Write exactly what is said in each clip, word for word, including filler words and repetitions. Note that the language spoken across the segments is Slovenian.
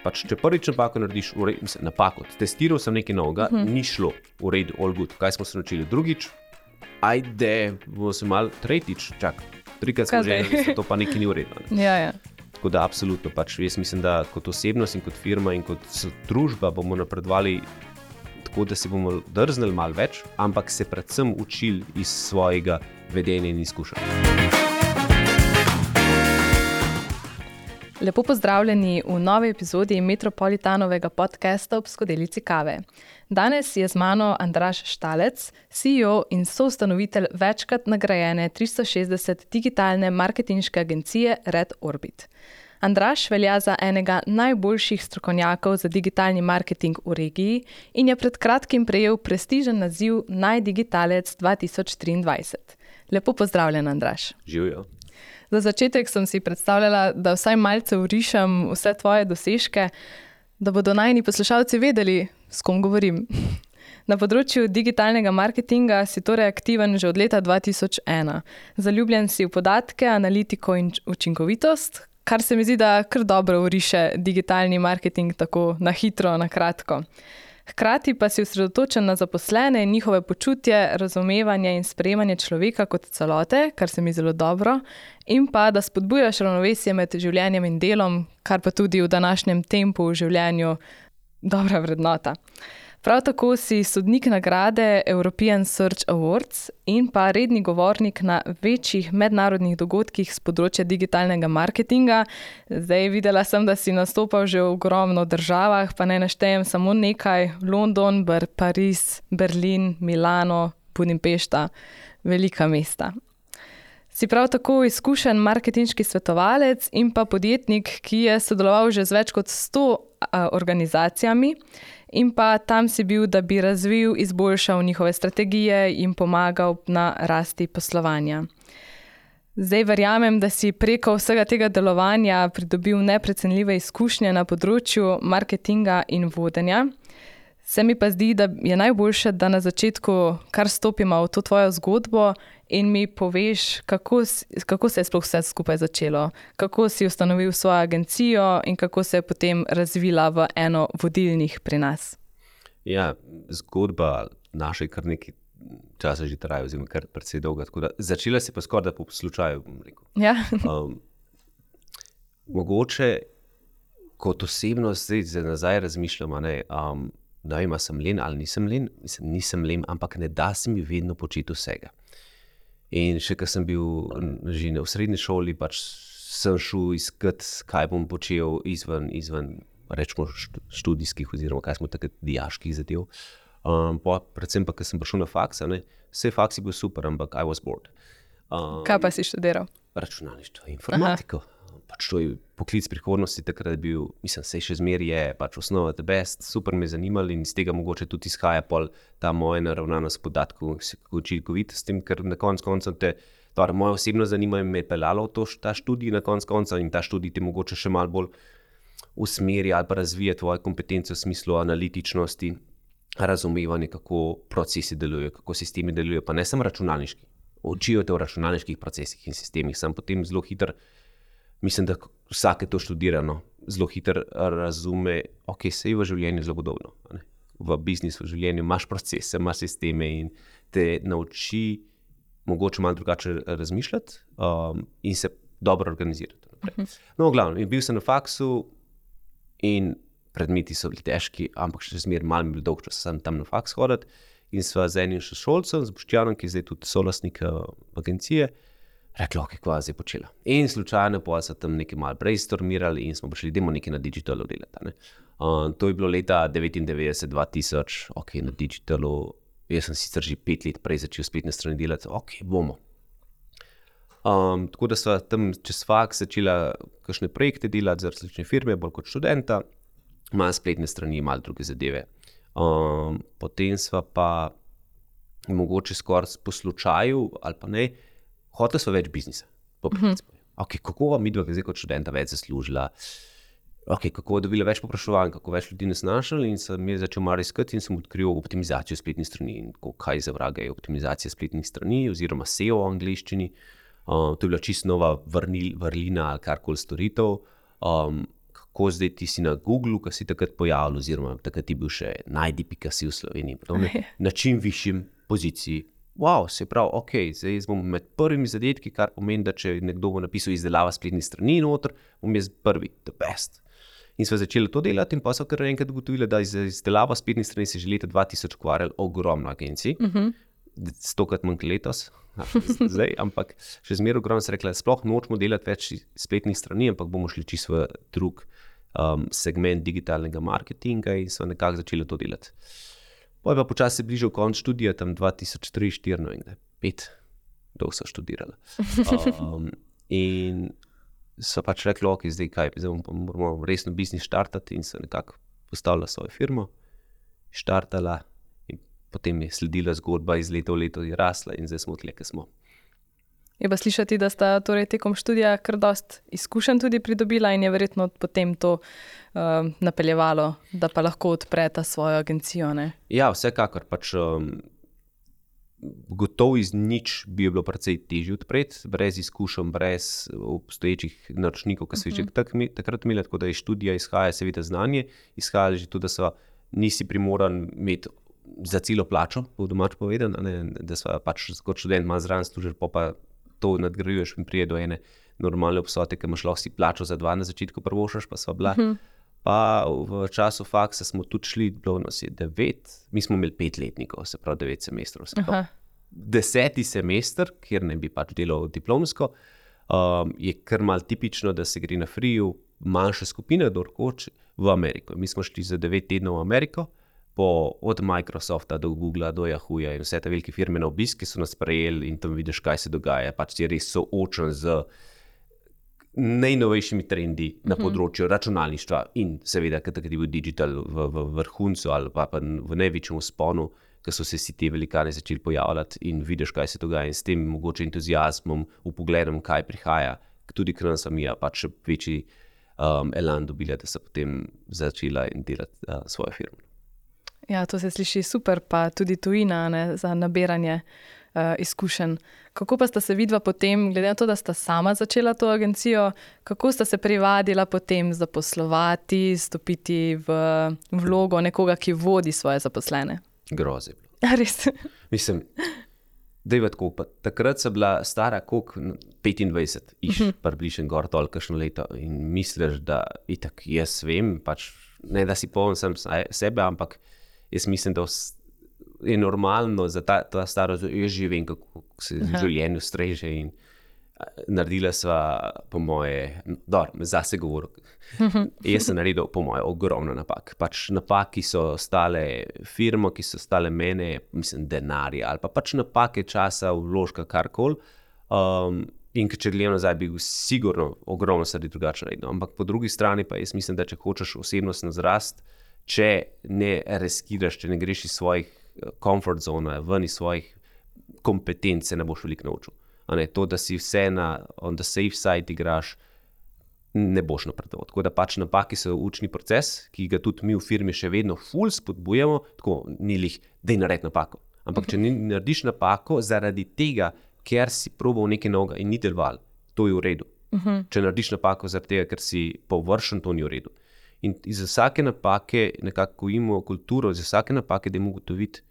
Pač, če prvič napako narediš, v redu, mislim, napako, testiral sem nekaj novega, uh-huh. ni šlo, v redu, all good. Kaj smo se naučili? Drugič, ajde, bomo se malo, tretjič, čak, trikrat smo že, to pa nekaj ni v redu. Ne? Ja, ja. Tako da, absolutno, pač jaz mislim, da kot osebnost in kot firma in kot družba bomo napredovali tako, da se bomo drznili malo več, ampak se predvsem učili iz svojega vedenja in izkušenj. Lepo pozdravljeni v novi epizodi Metropolitanovega podcasta ob skodelici kave. Danes je z mano Andraž Štalec, C E O in soustanovitelj večkrat nagrajene tristo šestdeset digitalne marketinške agencije Red Orbit. Andraž velja za enega najboljših strokovnjakov za digitalni marketing v regiji in je pred kratkim prejel prestižen naziv Najdigitalec dva tisoč triindvajset. Lepo pozdravljen, Andraž. Živjo. Za začetek sem si predstavljala, da vsaj malce vrišem vse tvoje dosežke, da bodo najini poslušalci vedeli, s kom govorim. Na področju digitalnega marketinga si torej aktiven že od leta dva tisoč ena. Zaljubljen si v podatke, analitiko in učinkovitost, kar se mi zdi, da kar dobro vriše digitalni marketing tako na hitro, na kratko. Hkrati pa si osredotočen na zaposlene in njihove počutje, razumevanje in sprejemanje človeka kot celote, kar se mi zelo dobro, in pa da spodbujaš ravnovesje med življenjem in delom, kar pa tudi v današnjem tempu v življenju dobra vrednota. Prav tako si sodnik nagrade European Search Awards in pa redni govornik na večjih mednarodnih dogodkih z področja digitalnega marketinga. Zdaj videla sem, da si nastopal že v ogromno državah, pa ne naštejem samo nekaj. London, Ber, Pariz, Berlin, Milano, Budimpešta, velika mesta. Si prav tako izkušen marketinški svetovalec in pa podjetnik, ki je sodeloval že z več kot sto a, organizacijami, in pa tam si bil, da bi razvil, izboljšal njihove strategije in pomagal na rasti poslovanja. Zdaj verjamem, da si preko vsega tega delovanja pridobil neprecenljive izkušnje na področju marketinga in vodenja. Se mi pa zdi, da je najboljše, da na začetku kar stopimo v to tvojo zgodbo in mi poveš, kako, kako se je sploh vse skupaj začelo, kako si ustanovil svojo agencijo in kako se je potem razvila v eno vodilnih pri nas. Ja, zgodba naša kar nekaj časa že traja, oziroma kar precej dolga. Tako da začela se pa skoraj da po slučaju, bom rekel. Ja. um, mogoče kot osebnost zdaj za nazaj razmišljam, ne, um, da ima sem len ali nisem len, mislim, nisem len, ampak ne da se mi vedno početi vsega. In še, ko sem bil že v srednji šoli, pač sem šel iskat, kaj bom počel izven, izven rečemo študijskih oziroma kaj smo takrat dijaških zadev. Um, pa, predvsem pa, ko sem prišel na faks, ne, vse faks je bil super, ampak I was bored. Um, kaj pa si študiral? Računalništvo, informatiko. Aha. Pač to je poklic prihodnosti, takrat je bil, mislim, sej še zmeri je, pač osnova the best, super me zanimali in iz tega mogoče tudi izhaja pol ta moja naravnanost podatkov, učinkovit s tem, ker na konc konca te, torej moje osebno zanimanje me je peljalo v to, ta študij na konc konca in ta študij te mogoče še malo bolj usmeri ali pa razvije tvoje kompetence v smislu analitičnosti, razumevanje, kako procesi delujejo, kako sistemi delujejo, pa ne samo računalniški. Učijo te v računalniških procesih in sistemih, sem potem zelo hiter. Mislim, da vsake to študirano zelo hitro razume, ok, se je v življenju zelo podobno. Ne? V biznisu, v življenju imaš procese, imaš sisteme in te nauči mogoče malo drugače razmišljati um, in se dobro organizirati. Uh-huh. No, glavno, bil sem na faksu in predmeti so bili težki, ampak še zmeraj malo mi bil dolg čas, sem tam na faks hoditi in sva z enim šolcem, z Boštjanom, ki je zdaj tudi solastnik agencije, rekla, ok, kva zdaj počela. In slučajno pa so tam nekaj malo brainstormirali in smo prišli, idemo nekaj na digitalu delati. Ne? Um, to je bilo leta devetindevetdeset dva tisoč, ok, na digitalu, jaz sem sicer že pet let prej začel spletne strani delati, ok, bomo. Um, tako da sva tam čez faks začela kakšne projekte delati za različne firme, bolj kot študenta, malo spletne strani, malo druge zadeve. Um, potem sva pa mogoče skoraj po slučaju ali pa ne, hotela sva več biznisa. Mm-hmm. Ok, kako vam midva zdaj kot študenta več zaslužila, ok, kako je dobila več popraševanj, kako več ljudi nas našli in sem je začel malo iskati in sem odkril optimizacijo spletnih strani in kaj za vraga je optimizacija spletnih strani oziroma S E O v angleščini. Um, to je bila čisto nova vrnil, vrlina ali karkoli storitev. Um, kako zdaj ti si na Googlu, ki si takrat pojavil, oziroma takrat ti bil še najdi pika si v Sloveniji, podobne, na čim višjim poziciji. Wow, se pravi, ok, zdaj bom med prvimi zadetki, kar pomeni, da če nekdo bo napisal izdelava spletnih strani noter, bom jaz prvi, the best. In smo začeli to delati in pa so kar enkrat ugotovili, da za izdelavo spletnih strani se že leta dva tisoč ukvarjali ogromno agencij, uh-huh. stokrat manj letos, zdaj, ampak še zmeraj ogromno se rekla, sploh nočemo delati več spletnih strani, ampak bomo šli čisto v drug um, segment digitalnega marketinga in so nekako začeli to delati. Potem pa počasi se bližal konc študija, tam dva tisoč tri, štiri, no in pet, dolgo so študirala. Um, in so pač rekli, ok, zdaj kaj, zdaj moramo resno biznis štartati in so nekako postavila svojo firmo, štartala in potem je sledila zgodba iz leta v leto je rasla in zdaj smo tle, kjer smo. Je pa slišati, da sta torej tekom študija kar dost izkušenj tudi pridobila in je verjetno potem to uh, napeljevalo, da pa lahko odpreta svojo agencijo, ne? Ja, vsekakor, pač um, gotovo iz nič bi bilo precej težje odpreti, brez izkušenj, brez obstoječih naročnikov, ki so uh-huh. že tak, takrat imeli, tako da je študija izhaja seveda znanje, izhaja že tudi, da so nisi primoran imeti za celo plačo, po domač povedan, ne, da so pač kot študent malo zraven služil, pa pa to nadgrajuješ in prije do ene normalne obsote, ki imaš lahko si plačo za dva na začetku prvošaš, pa sva bila. Uh-huh. Pa v času faksa smo tudi šli, bilo nas je devet, mi smo imeli petletnikov, se pravi devet semestrov. Se pravi. Deseti semester, kjer ne bi pač delal diplomsko, um, je kar malo tipično, da se gre na friju manjša skupina, dorkoč v Ameriko. Mi smo šli za devet tednov v Ameriko, po, od Microsofta do Googla, do Yahooja in vse te velike firme na obisk, ki so nas prejeli in tam vidiš, kaj se dogaja. Pač si res soočen z najnovejšimi trendi na področju računalništva in seveda, ker je bil digital v, v vrhuncu ali pa, pa v največjem vzponu, ker so se si te velikane začeli pojavljati in vidiš, kaj se dogaja in s tem mogoče entuziazmom, upogledom, kaj prihaja, tudi k nam samija, pač še večji um, elan dobila, da so potem začela delati uh, svojo firmo. Ja, to se sliši super, pa tudi tujina, ne, za nabiranje uh, izkušenj. Kako pa sta se vidva potem, glede na to, da sta sama začela to agencijo, kako sta se privadila potem zaposlovati, stopiti v vlogo nekoga, ki vodi svoje zaposlene? Groze. Res? Mislim, dejva tako, pa takrat sem bila stara koliko petindvajset, iš, uh-huh. približno gor toliko kakšno leto in misliš, da itak jaz vem, pač ne da si poln sam sebe, ampak jaz mislim, da je normalno za ta, ta starost, jaz že vem, kako se v življenju streže in naredila sva, po moje, dobro, zase govoril, jaz sem naredil, po moje, ogromno napak. Pač napaki so stale firmo, ki so stale mene, mislim, denarja, ali pa pač napake časa, vložka, karkoli. Um, in če gledam nazaj, bi sigurno ogromno stvari drugače naredil. Ampak po drugi strani pa jaz mislim, da če hočeš osebnostno zrast, če ne riskiraš, če ne greš iz svojih comfort zone, ven iz svojih kompetenc, se ne boš veliko naučil. Ne, to, da si vse na on the safe side igraš, ne boš napredoval. Tako da pač napaki so učni proces, ki ga tudi mi v firmi še vedno ful spodbujamo, tako ni lih, dej naredi napako. Ampak če narediš napako zaradi tega, ker si probal nekaj novega in ni deloval, to je v redu. Uh-huh. Če narediš napako zaradi tega, ker si površen, to ni v redu. In iz vsake napake nekako imamo kulturo, iz vsake napake dajmo ugotoviti,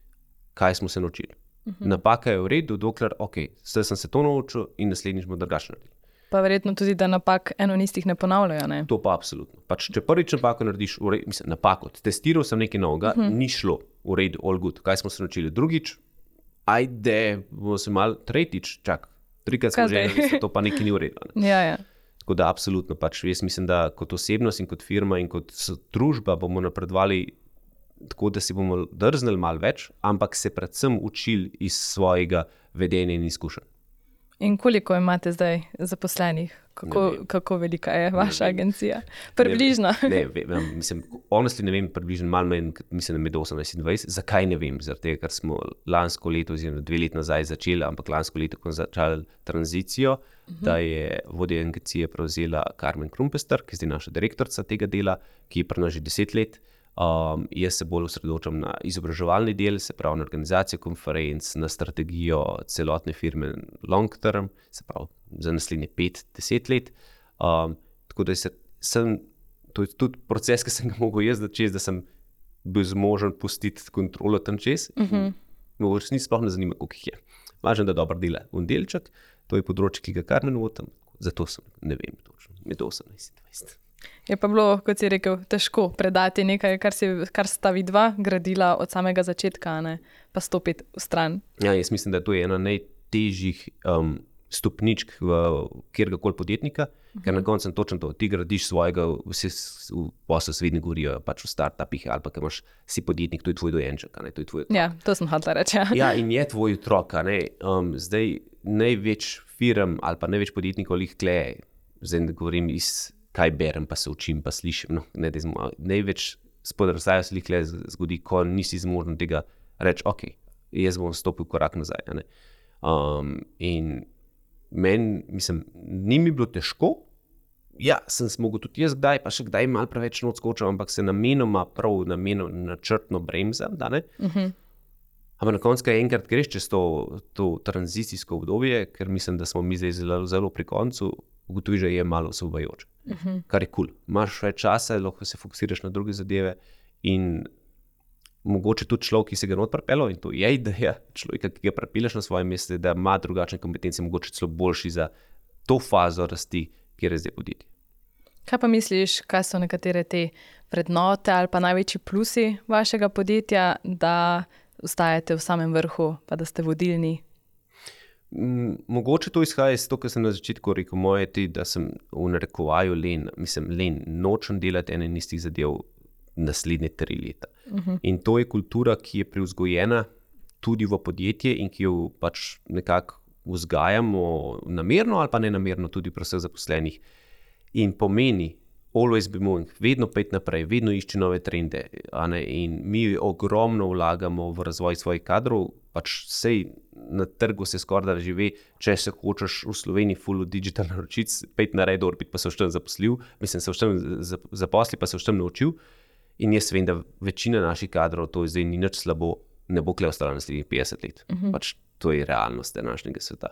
kaj smo se naučili. Uh-huh. Napaka je v redu, dokler, ok, zdaj sem se to naučil in naslednjič bomo drugače naredili. Pa verjetno tudi, da napak eno in istih ne ponavljajo, ne? To pa absolutno. Pač, če prvič napako narediš, v redu, mislim, napako, testiral sem nekaj novega, uh-huh. ni šlo, v redu, all good, kaj smo se naučili. Drugič, ajde, bomo se malo, tretjič, čak, trikrat smo že, to pa nekaj ni v redu. Ne? Ja, ja. Tako da absolutno, pač jaz mislim, da kot osebnost in kot firma in kot družba bomo napredovali tako, da si bomo drznili malo več, ampak se predvsem učili iz svojega vedenja in izkušenj. In koliko imate zdaj zaposlenih? Kako, kako velika je vaša agencija? Približno. Ne, ne vem, mislim, honestly ne vem, približno malo manj, mislim, da med osemnajst in dvajset. Zakaj ne vem? Zaradi tega, ker smo lansko leto, oziroma dve let nazaj začeli, ampak lansko leto, ko smo začeli tranzicijo, uh-huh. da je vodja agencije prevzela Carmen Krumpester, ki je zdaj naša direktorica tega dela, ki je pri nas že deset let. Um, jaz se bolj osredotočam na izobraževalni del, se pravi na organizacijo konferenc, na strategijo celotne firme long term, se pravi za naslednje pet, deset let. Um, tako da se, sem to je tudi proces, ki sem ga mogel jaz začeti, da sem bil zmožen pustiti kontrolo tam čez. Uh-huh. Mogoče ni sploh ne zanima, koliko jih je. Važno, da dobro dela v delček, to je področje, ki ga kar ne notam, zato sem, ne vem točno, med osemnajst in dvajset. Je pa bilo, kot si rekel, težko predati nekaj, kar, si, kar sta vidva gradila od samega začetka, ne? Pa stopiti v stran. Ja, jaz mislim, da to je ena najtežjih um, stopničk v kjerkoli podjetnika, uh-huh. ker na koncu sem točno to, ti gradiš svojega, vsi v poslu svedni govorijo, pač v startupih ali pa, ker imaš si podjetnik, to je tvoj dojenček, ne, to je tvoj otrok. Ja, to sem hotela reči. Ja. Ja, in je tvoj otrok, ne, um, zdaj največ firm ali pa največ podjetnikov lih kle, zdaj ne govorim iz, kaj berem, pa se učim, pa slišim, no, ne, dezmo, največ spodrsajo se lih kle zgodi, ko nisi zmožen tega reči, ok, jaz bom stopil korak nazaj, ne. Um, in meni, mislim, ni mi bilo težko, ja, sem se mogel tudi jaz kdaj, pa še kdaj malo preveč not skočil, ampak se namenoma prav namenoma načrtno bremzam, da ne. Uh-huh. Ampak na koncu, kaj enkrat greš čez to, to tranzicijsko obdobje, ker mislim, da smo mi zdaj zelo, zelo pri koncu, ugotoviš, da je malo osvobajoče, uh-huh. kar je kul. Cool. Imaš več časa, lahko se fokusiraš na druge zadeve in mogoče tudi človek, ki se ga not pripelil, in to je ideja človeka, ki ga pripeleš na svoje mesto, da ima drugačne kompetence, mogoče celo boljši za to fazo rasti, kjer je zdaj podjetje. Kaj pa misliš, kaj so nekatere te vrednote ali pa največji plusi vašega podjetja, da ostajate v samem vrhu, pa da ste vodilni? M, mogoče to izhaja iz to, kar sem na začetku rekel, moje ti, da sem v narekovaju len, mislim, len, nočem delati ene in istih zadev naslednje tri leta. Uh-huh. In to je kultura, ki je privzgojena tudi v podjetje in ki jo pač nekako vzgajamo namerno ali pa nenamerno tudi pri vseh zaposlenih. In pomeni always be moving, vedno peti naprej, vedno išči nove trende. A ne? In mi ogromno vlagamo v razvoj svojih kadrov, pač sej na trgu se skoraj da živi, če se hočeš v Sloveniji full digital naročic, peti na Red Orbit, pa se v tem zaposlil, mislim, se v tem zaposli, pa se v tem naučil. In jaz vem, da večina naših kadrov, to zdaj ni nič slabo, ne bo kle ostala naslednjih petdeset let. Uh-huh. Pač to je realnost današnjega sveta.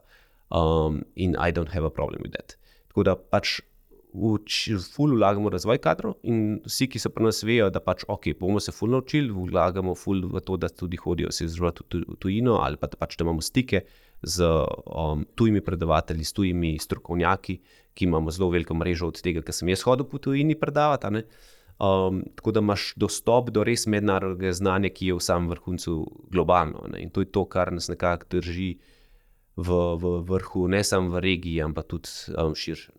Um, in I don't have a problem with that. Tako da pač v, v ful vlagamo razvoj kadrov in vsi, ki so pri nas vejo, da pač ok, bomo se ful naučili, vlagamo ful v to, da tudi hodijo se izživati v tujino ali pa da pač da imamo stike z um, tujimi predavatelji, s tujimi strokovnjaki, ki imamo zelo veliko mrežo od tega, ker sem jaz hodil po tujini predavati, ne? Um, tako da imaš dostop do res mednarodnega znanja, ki je v samem vrhuncu globalno. Ne? In to je to, kar nas nekako drži v, v vrhu, ne samo v regiji, ampak tudi um, širše.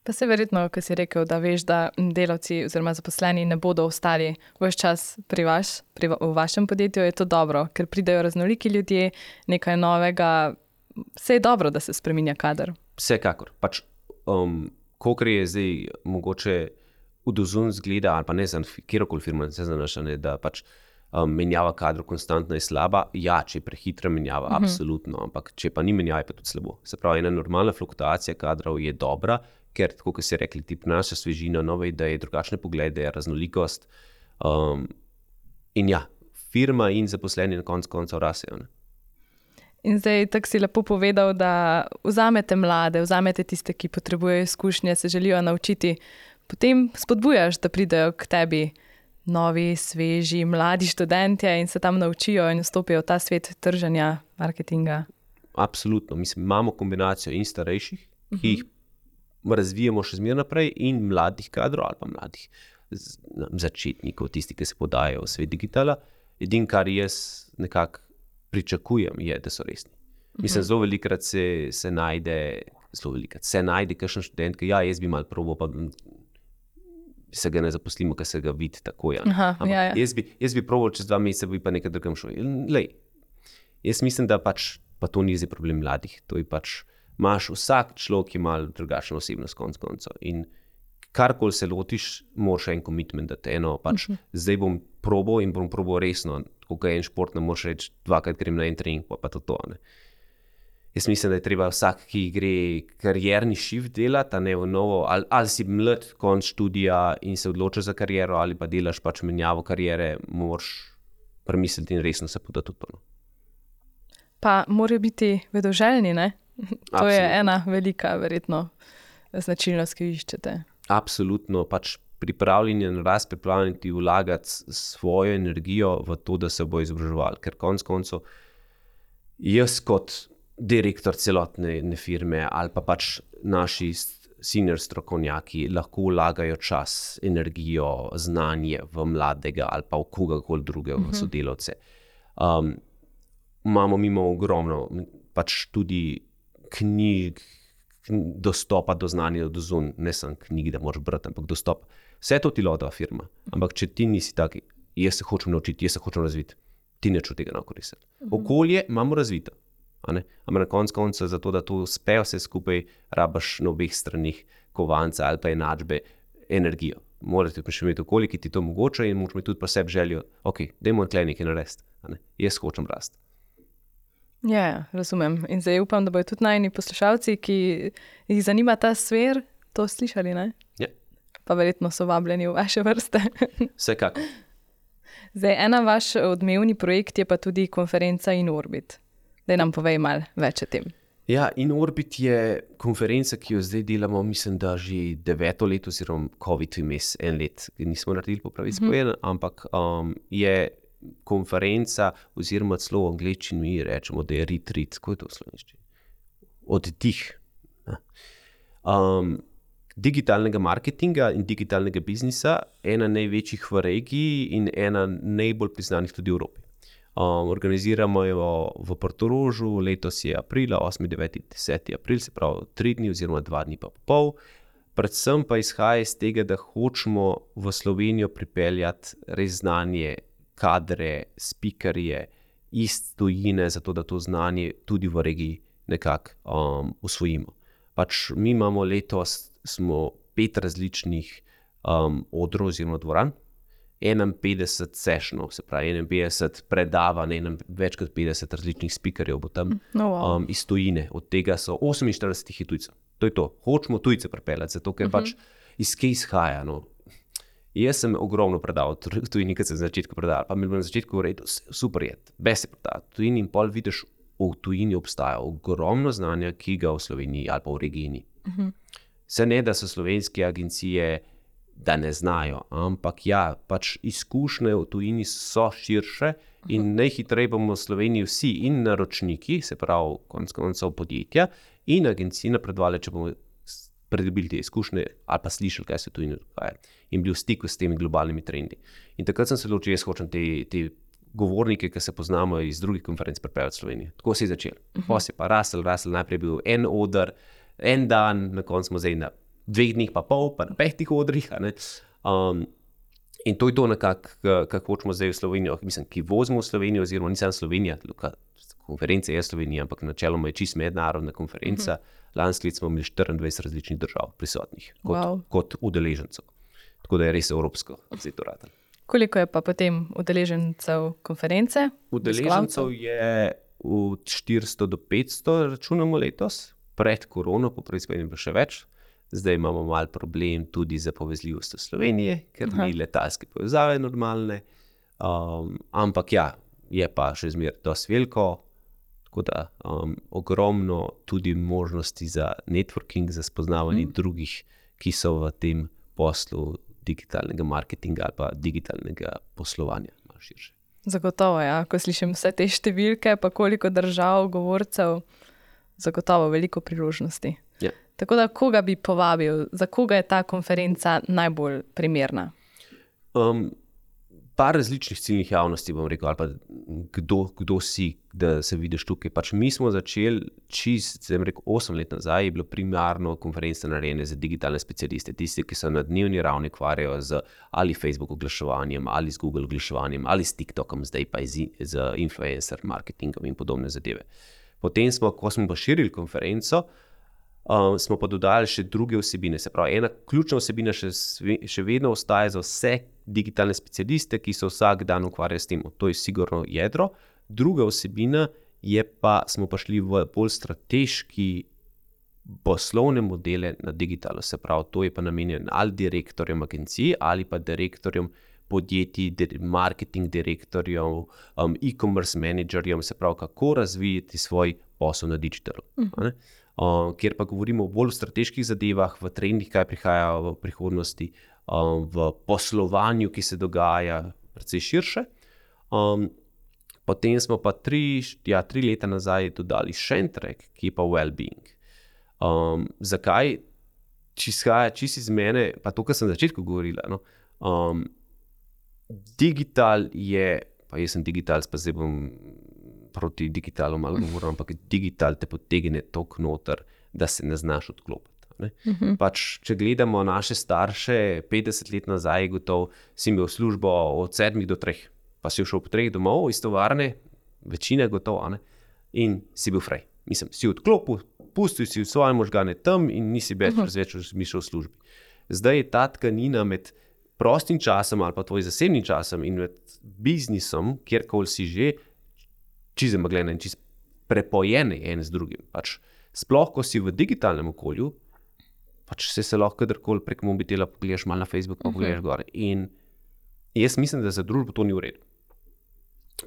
Pa se verjetno, ko si rekel, da veš, da delavci oziroma zaposleni ne bodo ostali ves čas pri vaš, pri, v vašem podjetju, je to dobro, ker pridejo raznoliki ljudje, nekaj novega, vse je dobro, da se spreminja kader. Vsekakor. Pač, um, kolikor je zdaj mogoče udozun zgleda, ali pa ne znam, kjerokoli firma ne se zanaša, ne, da pač um, menjava kadrov konstantno je slaba. Ja, če je prehitra menjava, uh-huh. absolutno, ampak če pa ni menjava, je pa tudi slabo. Se pravi, ena normalna fluktuacija kadrov je dobra, ker, tako kot si rekli, ti prinaša svežino, nove ideje, drugačne poglede, raznolikost. Um, in ja, firma in zaposleni na koncu koncev rasejo. Ne? In zdaj tako si lepo povedal, da vzamete mlade, vzamete tiste, ki potrebujejo izkušnje, se želijo naučiti, potem spodbujaš, da pridejo k tebi novi, sveži, mladi študentje in se tam naučijo in vstopijo v ta svet trženja, marketinga. Absolutno. Mislim, imamo kombinacijo in starejših, uh-huh. ki jih razvijamo še zmeraj naprej, in mladih kadrov ali pa mladih začetnikov, tisti, ki se podajajo v svet digitala. Edino, kar jaz nekako pričakujem, je, da so resni. Uh-huh. Mislim, zelo velikrat se, se najde, zelo velikrat se najde kakšen študent, ki ja, jaz bi malo probal, pa se ga ne zaposlimo, ker se ga vidi tako. Ja. Aha, ja, ja. Jaz bi, jaz bi probal čez dva meseca, bi pa nekaj drugem šel. Lej, jaz mislim, da pač, pa to ni zdaj problem mladih, to je pač, imaš vsak človek, ki ima drugačno osebnost konc koncev. In karkoli se lotiš, moraš en commitment dati. Eno, pač, uh-huh. zdaj bom probal in bom probal resno. Tako kot je en šport, ne moraš reči, dvakrat grem na en trening, pa, pa to to. Ne. Jaz mislim, da je treba vsak, ki gre karierni shift delati, a ne v novo, ali, ali si mlad konc študija in se odločaš za kariero, ali pa delaš pač menjavo kariere, moraš premisliti in resno se podati v to. Pa morajo biti vedoželjni, ne? To Absolutno. Je ena velika, verjetno, značilnost, ki jo iščete. Absolutno, pač pripravljeni na rast, pripravljeni vlagati svojo energijo v to, da se bo izobraževali. Ker konec koncev jaz kot direktor celotne firme ali pa pač naši senior strokovnjaki lahko vlagajo čas, energijo, znanje v mladega ali pa v kogakoli drugega uh-huh. sodelavce. Um, imamo mimo ogromno pač tudi knjig, dostopa do znanja do zun, ne samo knjig, da moraš brati, ampak dostop. Vse to ti lotava firma. Ampak če ti nisi taki, jaz se hočem naučiti, jaz se hočem razviti, ti neč od tega ne koristiti. Okolje imamo razvito. Ampak na koncu konca, zato da to uspe vse skupaj, rabaš na obeh stranih kovanca ali pa enačbe energijo. Morate pa še imeti okolje, ki ti to omogoča in moraš imeti tudi pa sebi željo, ok, dajmo nekaj nekaj narediti, jaz hočem rasti. Ja, ja, razumem. In zdaj upam, da bojo tudi najni poslušalci, ki jih zanima ta sfer, to slišali, ne? Ja. Pa verjetno so vabljeni v vaše vrste. Vsekako. Zdaj, ena vaš odmevni projekt je pa tudi konferenca InOrbit. Daj nam povej malo več o tem. Ja, InOrbit je konferenca, ki jo zdaj delamo, mislim, da že deveto leto, oziroma COVID vmes en let, nismo naredili po pravici mm-hmm. povedano, ampak um, je konferenca, oziroma celo v angleščini mi rečemo, da je retreat. Kako je to v slovenščini? Oddih. Um, digitalnega marketinga in digitalnega biznisa, ena največjih v regiji in ena najbolj priznanih tudi v Evropi. Um, organiziramo jo v Portorožu, letos je aprila, osmi, deveti, deseti april, se pravi tri dni oziroma dva dni pa pol. Predvsem pa izhaja iz tega, da hočemo v Slovenijo pripeljati res znanje, kadre, spikerje iz tujine, zato da to znanje tudi v regiji nekako um, usvojimo. Pač mi imamo letos smo pet različnih um, odrov oziroma dvoran, enainpetdeset sessionov, se pravi enainpetdeset predavanj, enem, več kot petdeset različnih spikerjev bo tam no, wow. um, iz tujine. Od tega so oseminštirideset tujcev. To je to. Hočemo tujce pripeljati, zato ker uh-huh. pač iz kje izhaja, no. Jaz sem ogromno predal, tudi nekaj se na začetku predal, pa mi je na začetku rekel, super je, bes se predal. Tujini in pol vidiš, v tujini obstaja ogromno znanja, ki ga v Sloveniji ali pa v regiji. Uh-huh. Se ne, da so slovenske agencije, da ne znajo, ampak ja, pač izkušnje v tujini so širše in uh-huh. najhitreje bomo v Sloveniji vsi in naročniki, se pravi konec koncev podjetja in agencije napredovali, če bomo pridobili te izkušnje ali pa slišali, kaj se tu in dogaja in bili v stiku s temi globalnimi trendi. In takrat sem se odločil, jaz hočem te, te govornike, ki se poznamo iz drugih konferenc, pripeljati v Slovenijo. Tako se je začel. Uh-huh. Pa se pa rasel, rasel, najprej bil en oder, en dan, na koncu smo zdaj na dveh dneh pa pol, pa na petih odrih. Um, in to je to nekako, kako hočemo zdaj v Slovenijo, mislim, ki vozimo v Slovenijo, oziroma nisem Slovenija, konferenca je Slovenija, ampak načeloma je čist mednarodna konferenca. Uh-huh. Lansko leto smo imeli štiriindvajset različnih držav prisotnih kot, wow. kot udeležencev. Tako da je res evropsko. Koliko je pa potem udeležencev konference? Udeležencev je od štiristo do petsto, računamo letos. Pred korono, po prvi spomeni pa še več. Zdaj imamo mal problem tudi za povezljivost v Sloveniji, ker Aha. ni letalske povezave normalne. Um, ampak ja, je pa še zmer dosti veliko. Tako da um, ogromno tudi možnosti za networking, za spoznavanje mm. drugih, ki so v tem poslu digitalnega marketinga ali pa digitalnega poslovanja. Malo širše. Zagotovo, ja. Ko slišim vse te številke, pa koliko držav, govorcev, zagotovo veliko priložnosti. Ja. Tako da, koga bi povabil, za koga je ta konferenca najbolj primerna? Um, par različnih ciljnih javnosti, bom rekel, ali pa kdo, kdo si, da se vidiš tukaj. Pač mi smo začeli čist, sem rekel, osem let nazaj, je bilo primarno konference narejene za digitalne specialiste, tisti, ki se na dnevni ravni ukvarjajo z ali Facebook oglaševanjem, ali z Google oglaševanjem, ali s TikTokom, zdaj pa z, z influencer marketingom in podobne zadeve. Potem smo, ko smo pa širili konferenco, Um, smo pa dodali še druge vsebine. Se pravi, ena ključna vsebina še, še vedno ostaja za vse digitalne specialiste, ki se vsak dan ukvarjajo s tem. To je sigurno jedro. Druga vsebina je pa, smo pa šli v bolj strateški poslovne modele na digitalu. Se pravi, to je pa namenjen ali direktorjem agencij, ali pa direktorjem podjetij, marketing direktorjem, um, e-commerce menedžerjem, se pravi, kako razvijati svoj posel na digitalu. Uh-huh. Uh, kjer pa govorimo o bolj strateških zadevah, v trendih, kaj prihaja v prihodnosti, um, v poslovanju, ki se dogaja precej širše. Um, potem smo pa tri, ja, tri leta nazaj dodali še en track, ki je pa well-being. Um, zakaj? Če izhaja čisto iz mene, pa to, kar sem na začetku govorila, no, um, digital je, pa jaz sem digital, pa zdaj bom proti digitalu malo govoril, ampak digital te potegne toliko noter, da se ne znaš odklopiti. Ne? Uh-huh. Pač, če gledamo naše starše, petdeset let nazaj, gotovo si imel službo od sedmih do treh, pa si šel po treh domov iz tovarne, večina gotovo, ne? In si bil fraj. Mislim, si odklopil, pustil si v svoje možgane tam in nisi več uh-huh. več razmišljal v službi. Zdaj je ta tkanina med prostim časom ali pa tvojim zasebnim časom in med biznisom, kjerkoli si že, čisto zamegljena in čisto prepojene en z drugim. Pač, sploh, ko si v digitalnem okolju, pač se, se lahko kadarkoli prek mobitela pogledaš malo na Facebook, pa uh-huh. pogledaš gore. In jaz mislim, da za družbo to ni v redu.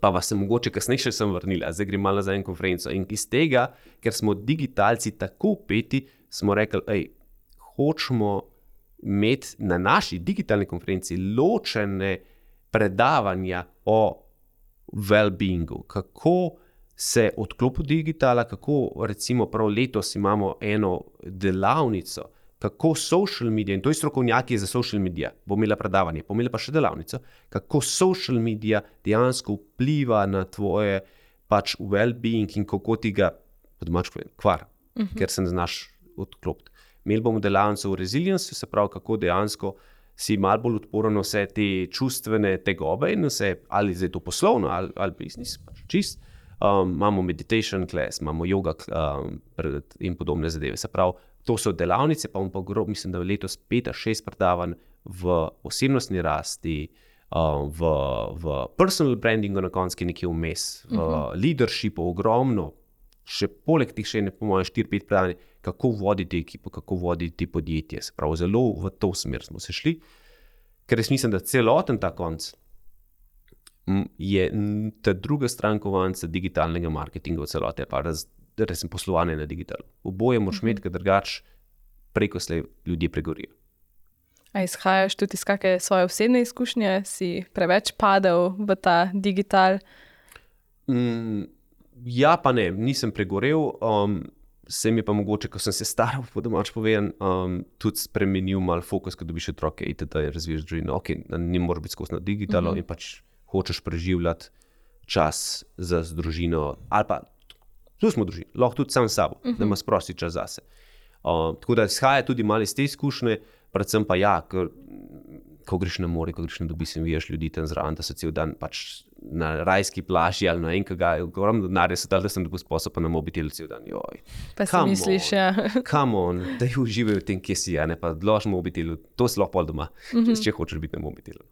Pa vas se mogoče kasneje še sem vrnila, zdaj grem malo za en konferenco. In iz tega, ker smo digitalci tako upeti, smo rekli, ej, hočemo imeti na naši digitalni konferenci ločene predavanja o well-beingu. Kako se odklopi digitala, kako recimo prav letos imamo eno delavnico, kako social media, in to je strokovnjaki za social media, bo imela predavanje, bo imela pa še delavnico, kako social media dejansko vpliva na tvoje pač well-being in kako ti ga, po domač povem, kvar, uh-huh. ker se ne znaš odklopiti. Imeli bomo delavnico v resilience, se pravi, kako dejansko si malo bolj odporen na vse te čustvene tegobe in vse, ali zdaj to poslovno, ali, ali biznis, pač čist. Um, imamo meditation class, imamo yoga um, in podobne zadeve, se pravi, to so delavnice, pa bomo pa grob, mislim, da je letos pet ali šest predavanj v osebnostni rasti, uh, v, v personal brandingu na koncu nekje vmes, v uh-huh. leadershipu ogromno, še poleg tih še ne pomojo štiri pet predavanj, kako voditi ekipo, kako voditi podjetje. Se pravi, zelo v to smer smo se šli, ker jaz mislim, da celoten ta konc je ta druga stran kovanca digitalnega marketinga v celote, pa raz, resem poslovanje na digitalu. Oboje moraš imeti, ker drugač preko slej ljudje pregorijo. A izhajaš tudi iz kakšne svoje osebne izkušnje? Si preveč padel v ta digital? Mm, ja, pa ne, nisem pregorel. Um, se mi pa mogoče, ko sem se staral, po domač povedan, um, tudi spremenil mal fokus, ko dobiš otroke, itd. Razviješ družino. Ok, ni moraš biti skozi na digitalo uh-huh. in pač hočeš preživljati čas za družino, ali pa tu smo družini, lahko tudi sam s sabo, uh-huh. da ima sprosti čas zase. Uh, tako da izhaja tudi malo iz te izkušnje, predvsem pa ja, ker, ko greš na more, ko greš na Dobis in vidiš ljudi tam zraven, da so cel dan pač na rajski plaži ali na enega, ogromno denarja so dali, da sem dobil sposob pa na mobitelu cel dan. Joj, pa si misliš, on, ja. Come on, da jih uživajo v tem, kje si, ja, ne pa dlož mobitelu, to si lahko pol doma, uh-huh. če hočeš biti na mobitelu.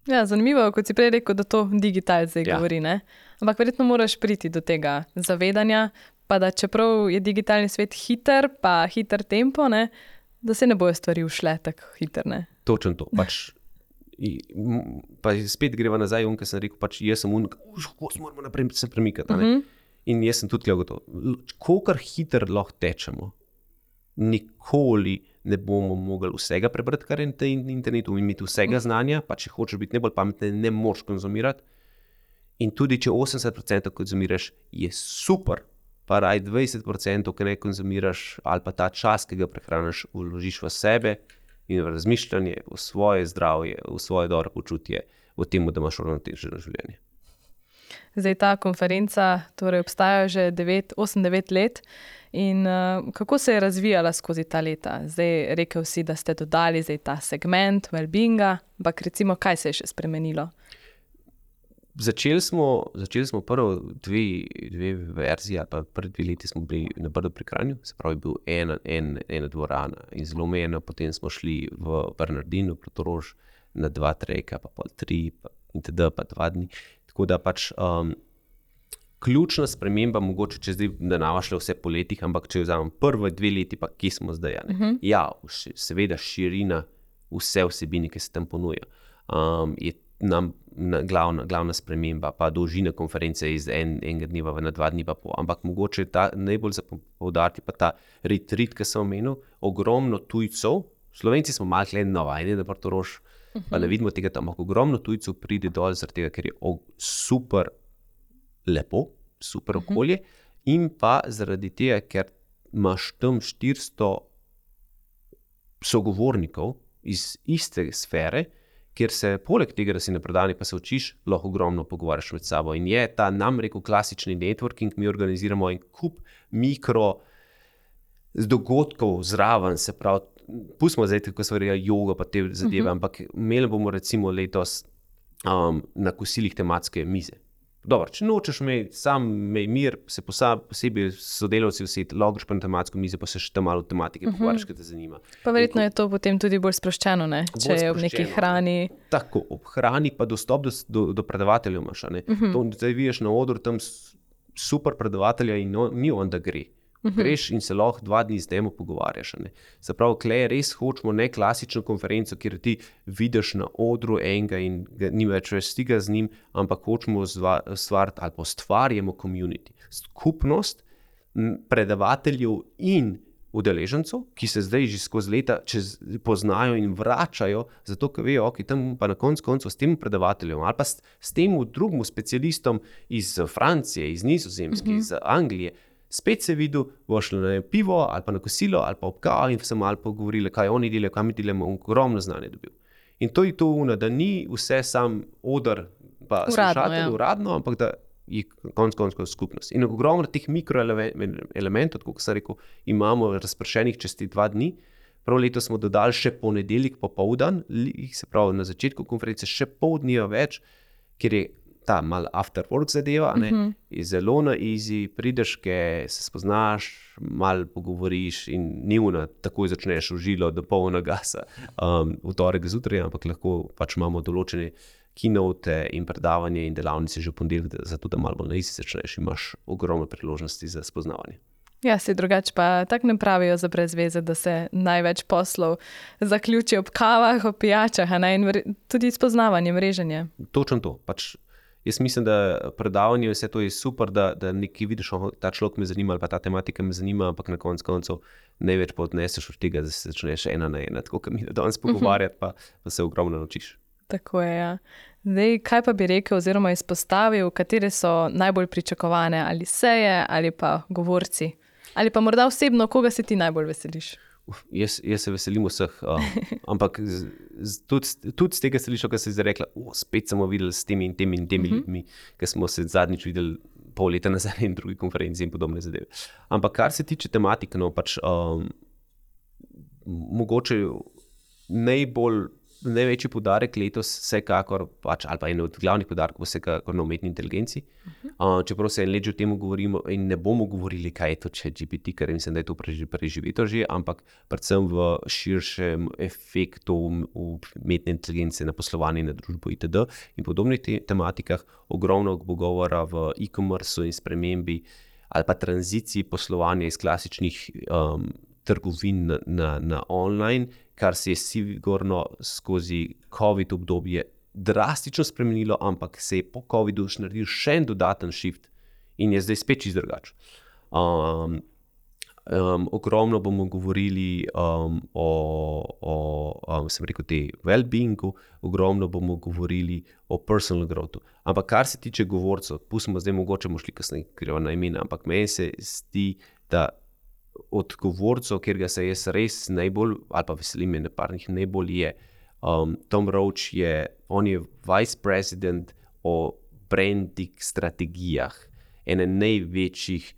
Ja, zanimivo, kot si prej rekel, da to digital zdaj ja. govori, ne? Ampak verjetno moraš priti do tega zavedanja, pa da čeprav je digitalni svet hiter, pa hiter tempo, ne, da se ne bojo stvari ušle tako hiter, ne? Točno to, pač, pa spet greva nazaj, on, ker sem rekel, pač jaz sem un, kako se moramo naprej se premikati, ne? Uh-huh. In jaz sem tudi gotov. Kolikor hiter lahko tečemo, nikoli ne bomo mogli vsega prebrati, kar je na internetu, imeti vsega znanja, pa če hočeš biti najbolj pameten, ne moreš konzumirati. In tudi, če osemdeset procentov konzumiraš, je super, pa raj dvajset procentov, ki ne konzumiraš, ali pa ta čas, ki ga prehraniš, vložiš v sebe in v razmišljanje, v svoje zdravje, v svoje dobro počutje, v tem, da imaš uravnoteženo življenje. Zdaj ta konferenca torej obstaja že osem devet let in uh, kako se je razvijala skozi ta leta? Zdaj rekel si, da ste dodali zdaj ta segment well-beinga, ampak recimo, kaj se je še spremenilo? Začeli smo, začeli smo prvo dve, dve verzije, ali pa prvi dve leti smo bili na Brdu pri Kranju, se pravi, bil ena, en, ena dvorana in zelo omejena, potem smo šli v Bernardinu, Protorož, na dva treka, pa pol tri, pa itd., pa dva dni. Tako da pač um, ključna sprememba, mogoče če zdaj ne navašle vse po letih, ampak če vzamem prve dve leti, pa kje smo zdaj, ja, uh-huh. ja, seveda širina vse vsebine, ki se tam ponuja, um, je nam na, glavna, glavna sprememba, pa dolžina konference iz en, enega dneva na dva dni pa pol, ampak mogoče ta najbolj za poudariti pa ta retreat, ki sem omenil, ogromno tujcev Slovenci smo malo klen navajeni na Portorož, uh-huh. pa ne vidimo tega tam, ampak ogromno tujcev pride dol, zaradi tega, ker je super lepo, super okolje, uh-huh. in pa zaradi tega, ker imaš tam štiristo sogovornikov iz iste sfere, kjer se poleg tega, da si na predavanju, pa se učiš, lahko ogromno pogovarjaš med sabo. In je ta, nam rekel, klasični networking, mi organiziramo en kup mikro dogodkov zraven, se pravi, pustimo zdaj, kako se verja joga pa te zadeve, uh-huh. ampak imeli bomo recimo letos um, na kosilih tematske mize. Dobro, če nočeš imeti sam mir, se posebej sodelavci vseti, logiš pa na tematsko mizo, pa se še tam malo tematike uh-huh. pogovarjaš, kaj te zanima. Pa verjetno je to potem tudi bolj sproščeno, ne? Če bolj je ob neki hrani. Tako, ob hrani pa dostop do, do, do predavateljev imaš. Uh-huh. To, zdaj vidiš na odru tam super predavatelja in no, ni on, da gre. Uh-huh. Greš in se lahko dva dni z njim pogovarjaš. Ne? Se pravi, klej res hočemo ne klasično konferenco, kjer ti vidiš na odru enega in ga, ni več stika z njim, ampak hočemo stvariti ali pa ustvarjamo community. Skupnost predavateljev in udeležencev, ki se zdaj že skozi leta čez, poznajo in vračajo, zato ker vejo, ok, tam pa na koncu koncu s tem predavateljem ali pa s, s tem drugim specialistom iz Francije, iz Nizozemske, uh-huh. iz Anglije, spet se videl, bo šlo na pivo ali pa na kosilo ali pa ob kavi in se malo pogovorili, kaj oni delajo, kaj mi delamo, ogromno znanje dobil. In to je to uno, da ni vse sam odr pa slušatelj ja. uradno, ampak da je konc konc skupnost. In ogromno teh mikroelementov, kot sem rekel, imamo razpršenih čez te dva dni. Prav leto smo dodali še ponedeljek popoldan, se pravi na začetku konference še pol dneva več, ker je ta mal after work zadeva, ne, uh-huh. je zelo na easy, prideš, se spoznaš, mal pogovoriš in ni una, takoj začneš v žilo do polna gasa um, v torek zjutraj, ampak lahko pač imamo določene keynote in predavanje in delavnice že v ponedeljek, zato da malo bolj na easy začneš in imaš ogromno priložnosti za spoznavanje. Ja, se drugače pa tako ne pravijo za brez veze, da se največ poslov zaključi ob kavah, ob pijačah, a ne, in vre, tudi spoznavanje, mreženje. Točno to, pač jaz mislim, da predavanje vse to je super, da, da nekaj vidiš, oh, ta človek me zanima ali pa ta tematika me zanima, ampak na koncu koncev največ pa odneseš od tega, da se začneš ena na ena, tako kot mi danes pogovarjati, pa, pa se ogromno naučiš. Tako je, ja. Zdaj, kaj pa bi rekel oziroma izpostavil, katere so najbolj pričakovane ali seje ali pa govorci? Ali pa morda osebno, koga se ti najbolj veseliš? Uf, jaz, jaz se veselim vseh, uh, ampak z, z, tudi, tudi z tega slišal, kar se je zdaj rekla, oh, spet smo videli s temi in temi in temi uh-huh. ljudmi, ker smo se zadnjič videli pol leta nazaj in drugi konferenci in podobne zadeve. Ampak kar se tiče tematike, no, pač um, mogoče najbolj, največji poudarek letos vsekakor, pač, ali pa en od glavnih poudarkov vsekakor na umetni inteligenci. Uh-huh. Uh, čeprav se en let že o tem govorimo in ne bomo govorili, kaj je to ChatGPT, ker mislim, da je to preživeto že, ampak predvsem v širšem efektu umetne inteligence na poslovanje, na družbo itd. In podobnih te tematikah, ogromno bo govora v e-commerce in spremembi ali pa tranziciji poslovanja iz klasičnih um, trgovin na, na, na online, kar se je sigurno skozi COVID obdobje drastično spremenilo, ampak se je po covidu naredil še en dodaten shift in je zdaj spet čisto drugače. Um, um, ogromno bomo govorili um, o, o um, sem rekel, te well-beingu, ogromno bomo govorili o personal growthu. Ampak kar se tiče govorcev, pustimo zdaj mogoče bomo šli kasneje, ker je na imena, ampak meni se zdi, da od govorcev, kjer ga se jaz res najbolj, ali pa veselim je neparnih najbolj je, um, Tom Roach je, on je vice president o branding strategijah, ene največjih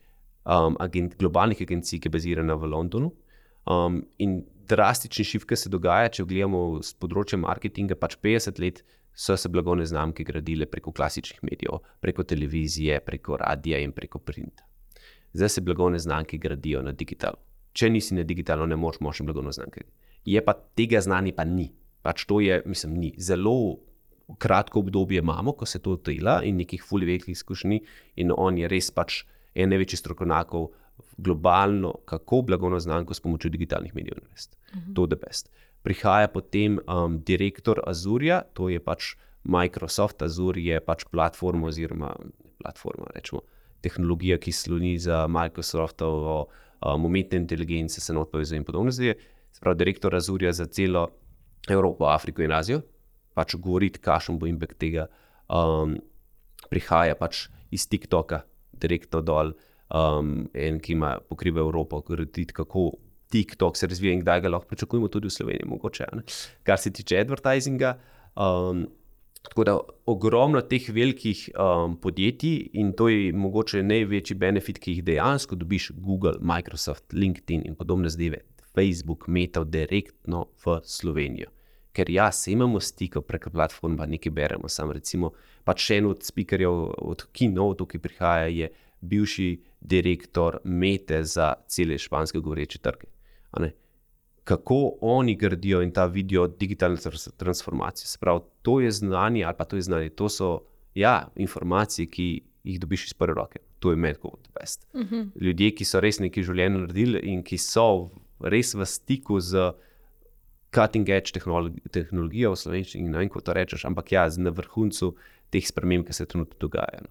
um, agent, globalnih agencij, ki je bazirana v Londonu. Um, in drastični shift, ki se dogaja, če gledamo z področja marketinga, pač petdeset let so se blagovne znamke gradile preko klasičnih medijev, preko televizije, preko radija in preko printa. Zdaj se blagovne znamke gradijo na digitalu. Če nisi na digitalu, ne moreš močne blagovne znamke. Je pa tega znanja pa ni. Pač to je, mislim, ni. Zelo kratko obdobje imamo, ko se to dela in nekih ful velikih izkušnji in on je res pač en največjih strokovnjakov globalno, kako blagovno znamko s pomočjo digitalnih medijev narediti. Uh-huh. To the best. Prihaja potem um, direktor Azurja, to je pač Microsoft. Azure je pač platforma oziroma platforma, rečemo, tehnologija, ki sloni za Microsoftovo um, umetne inteligence, se not povezuje in podobno zdaj. sprav direktor Azurja za celo Evropo, Afriko in Azijo, pač govoriti, kakšen bo impact tega, um, prihaja pač iz TikToka direktno dol, um, en, ki ima pokriva Evropo, govoriti, kako TikTok se razvija in kdaj ga lahko pričakujemo tudi v Sloveniji, mogoče, ne? Kar se tiče advertisinga. Um, tako da ogromno teh velikih um, podjetij in to je mogoče največji benefit, ki jih dejansko dobiš Google, Microsoft, LinkedIn in podobne zadeve, Facebook, Meta direktno v Slovenijo. Ker ja, se imamo stikov preko platforma, nekaj beremo, sam recimo, pač še en od speakerjev od Keynote, ki prihaja, je bivši direktor Mete za cele španske govoreče trge. Kako oni gradijo in ta vidijo digitalne transformacije. Sprav, to je znanje, ali pa to je znanje, to so ja, informacije, ki jih dobiš iz prve roke. To je mad god best. Uh-huh. Ljudje, ki so res nekaj življenja naredili in ki so res v stiku z cutting edge tehnologijo v slovenščini, ne vem, kako to rečeš, ampak ja, na vrhuncu teh sprememb, ki se trenutno dogajajo.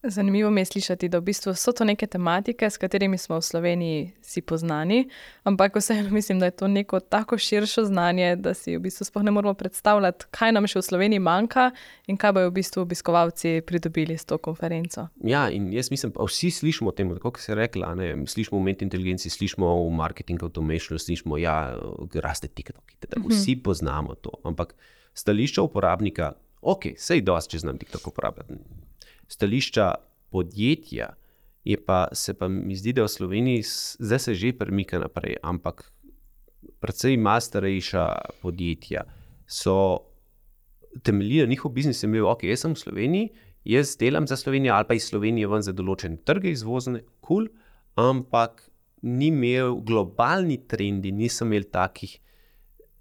Zanimivo mi je slišati, da v bistvu so to neke tematike, s katerimi smo v Sloveniji si poznani, ampak vseeno mislim, da je to neko tako širše znanje, da si v bistvu sploh ne moramo predstavljati, kaj nam še v Sloveniji manjka in kaj bojo v bistvu obiskovalci pridobili s to konferenco. Ja, in jaz mislim, pa vsi slišimo o tem, tako kot si rekla, ne, slišimo o umetni inteligenci, slišimo o marketing automation, slišimo, ja, raste TikTok, da vsi poznamo to, ampak stališča uporabnika, ok, sej dosti, če znam TikTok uporabljati. Stališča podjetja je pa, se pa mi zdi, da v Sloveniji zdaj se že premika naprej, ampak precej malo starejša podjetja so temeljila, njihov biznis je imel, ok, jaz sem v Sloveniji, jaz delam za Slovenijo ali pa iz Slovenije ven za določene trge izvozne, cool, ampak ni imel globalni trendi, nisem imel takih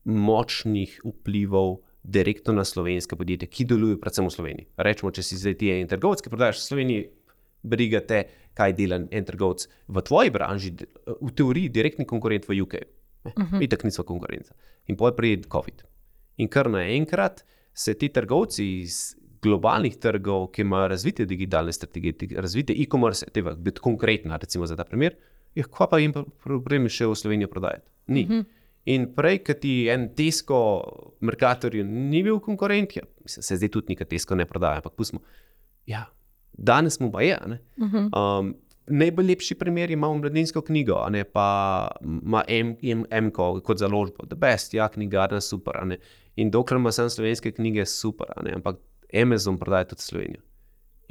močnih vplivov direktno na slovenske podjetje, ki delujejo predvsem v Sloveniji. Rečemo, če si zdaj ti en trgovec, ki prodajaš v Sloveniji, briga te, kaj dela en trgovec v tvoji branži, v teoriji direktni konkurent v U K. Uh-huh. Itak nisva konkurenca. In potem pride COVID. In kar naenkrat se ti trgovci iz globalnih trgov, ki imajo razvite digitalne strategije, razvite e-commerce, tega biti konkretna, recimo za ta primer, je kva pa jim problem še v Slovenijo prodajati? Ni. Uh-huh. In prej, kad ti en Tesco Mercatorju ni bil konkurent, ja, mislim, se zdaj tudi nekaj Tesco ne prodaja, ampak pustimo, ja, danes mu pa je, ne. Uh-huh. Um, najbolj lepši primer imamo mladinsko knjigo, a ne, pa ima M-ko kot založbo, the best, ja, knjigarna, super, a ne. In dokler ima sam slovenske knjige, super, a ne, ampak Amazon prodaja tudi Slovenijo.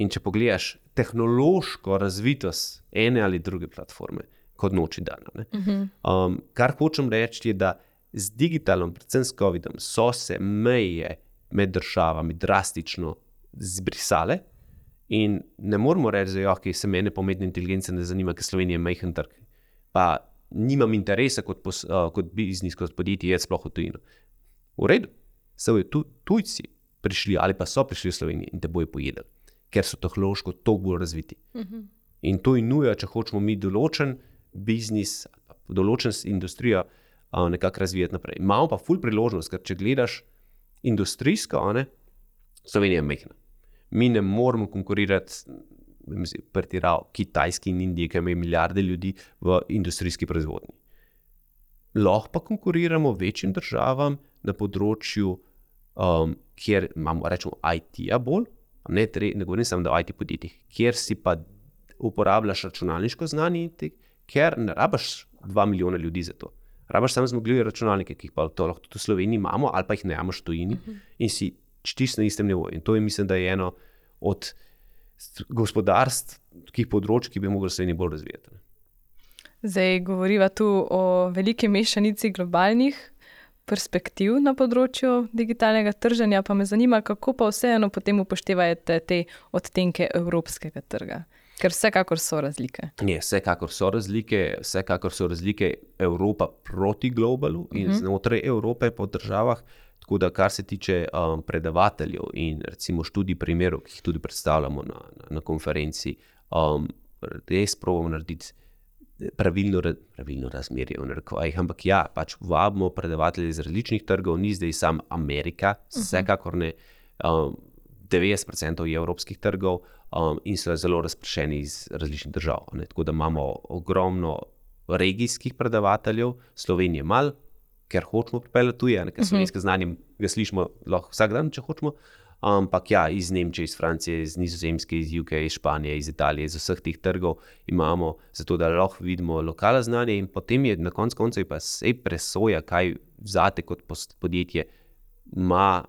In če pogledaš tehnološko razvitost ene ali druge platforme, kot noči dana. Uh-huh. Um, kar hočem reči je, da z digitalom, predvsem s covidom, so se meje med državami drastično zbrisale in ne moramo reči, da okay, se mene pometne inteligence ne zanima, ker Slovenija je majhen trg. Pa nimam interesa kot, pos, uh, kot biznis, kot podjetje, je sploh v tujino. V redu, so tu, tujci prišli ali pa so prišli v Slovenijo in te bojo pojedali, ker so tehnološko toliko bolj razviti. Uh-huh. In to je nuja, če hočemo mi določen biznis, določen industrijo uh, nekako razvijati naprej. Imamo pa ful priložnost, ker če gledaš industrijsko, ne, Slovenija je majhna. Mi ne moramo konkurirati pretirav Kitajski in Indije, ki imajo milijarde ljudi v industrijski proizvodnji. Lahko pa konkuriramo večjim državam na področju, um, kjer imamo, rečemo, I T-ja bolj, ne, ne govorim samo, da o I T podjetjih, kjer si pa uporabljaš računalniško znanje, ker ne rabaš dva milijona ljudi za to. Rabaš samo zmogljive računalnike, ki jih pa to lahko tudi v Sloveniji imamo, ali pa jih ne imamo v tujini uh-huh. in si čisto na istem nivoju. In to je, mislim, da je eno od gospodarskih področij, ki bi mogli Sloveniji bolj razvijati. Zdaj govoriva tu o veliki mešanici globalnih perspektiv na področju digitalnega trženja, pa me zanima, kako pa vseeno potem upoštevate te odtenke evropskega trga. Ker vsekakor so razlike. Ne, vsekakor so razlike, vsekakor so razlike Evropa proti globalu in uh-huh. znotraj Evrope po državah, tako da kar se tiče um, predavateljev in recimo študij primerov, ki jih tudi predstavljamo na, na, na konferenci, um, res probamo narediti pravilno, pravilno razmerje v narekovajih, ampak ja, pač vabimo predavatelje iz različnih trgov, ni zdaj sam Amerika, uh-huh. vsekakor ne, um, devetdeset procentov je evropskih trgov um, in so zelo razpršeni iz različnih držav. Ne? Tako da imamo ogromno regijskih predavateljev, Slovenije mal, ker hočemo pripeljati tuje, ker slovenske znanje ga slišimo lahko vsak dan, če hočemo. Ampak ja, iz Nemčije, iz Francije, iz Nizozemske, iz U K, iz Španije, iz Italije, iz vseh teh trgov imamo, zato da lahko vidimo lokalno znanje in potem je na koncu koncev pa se presoja, kaj zate kot podjetje ima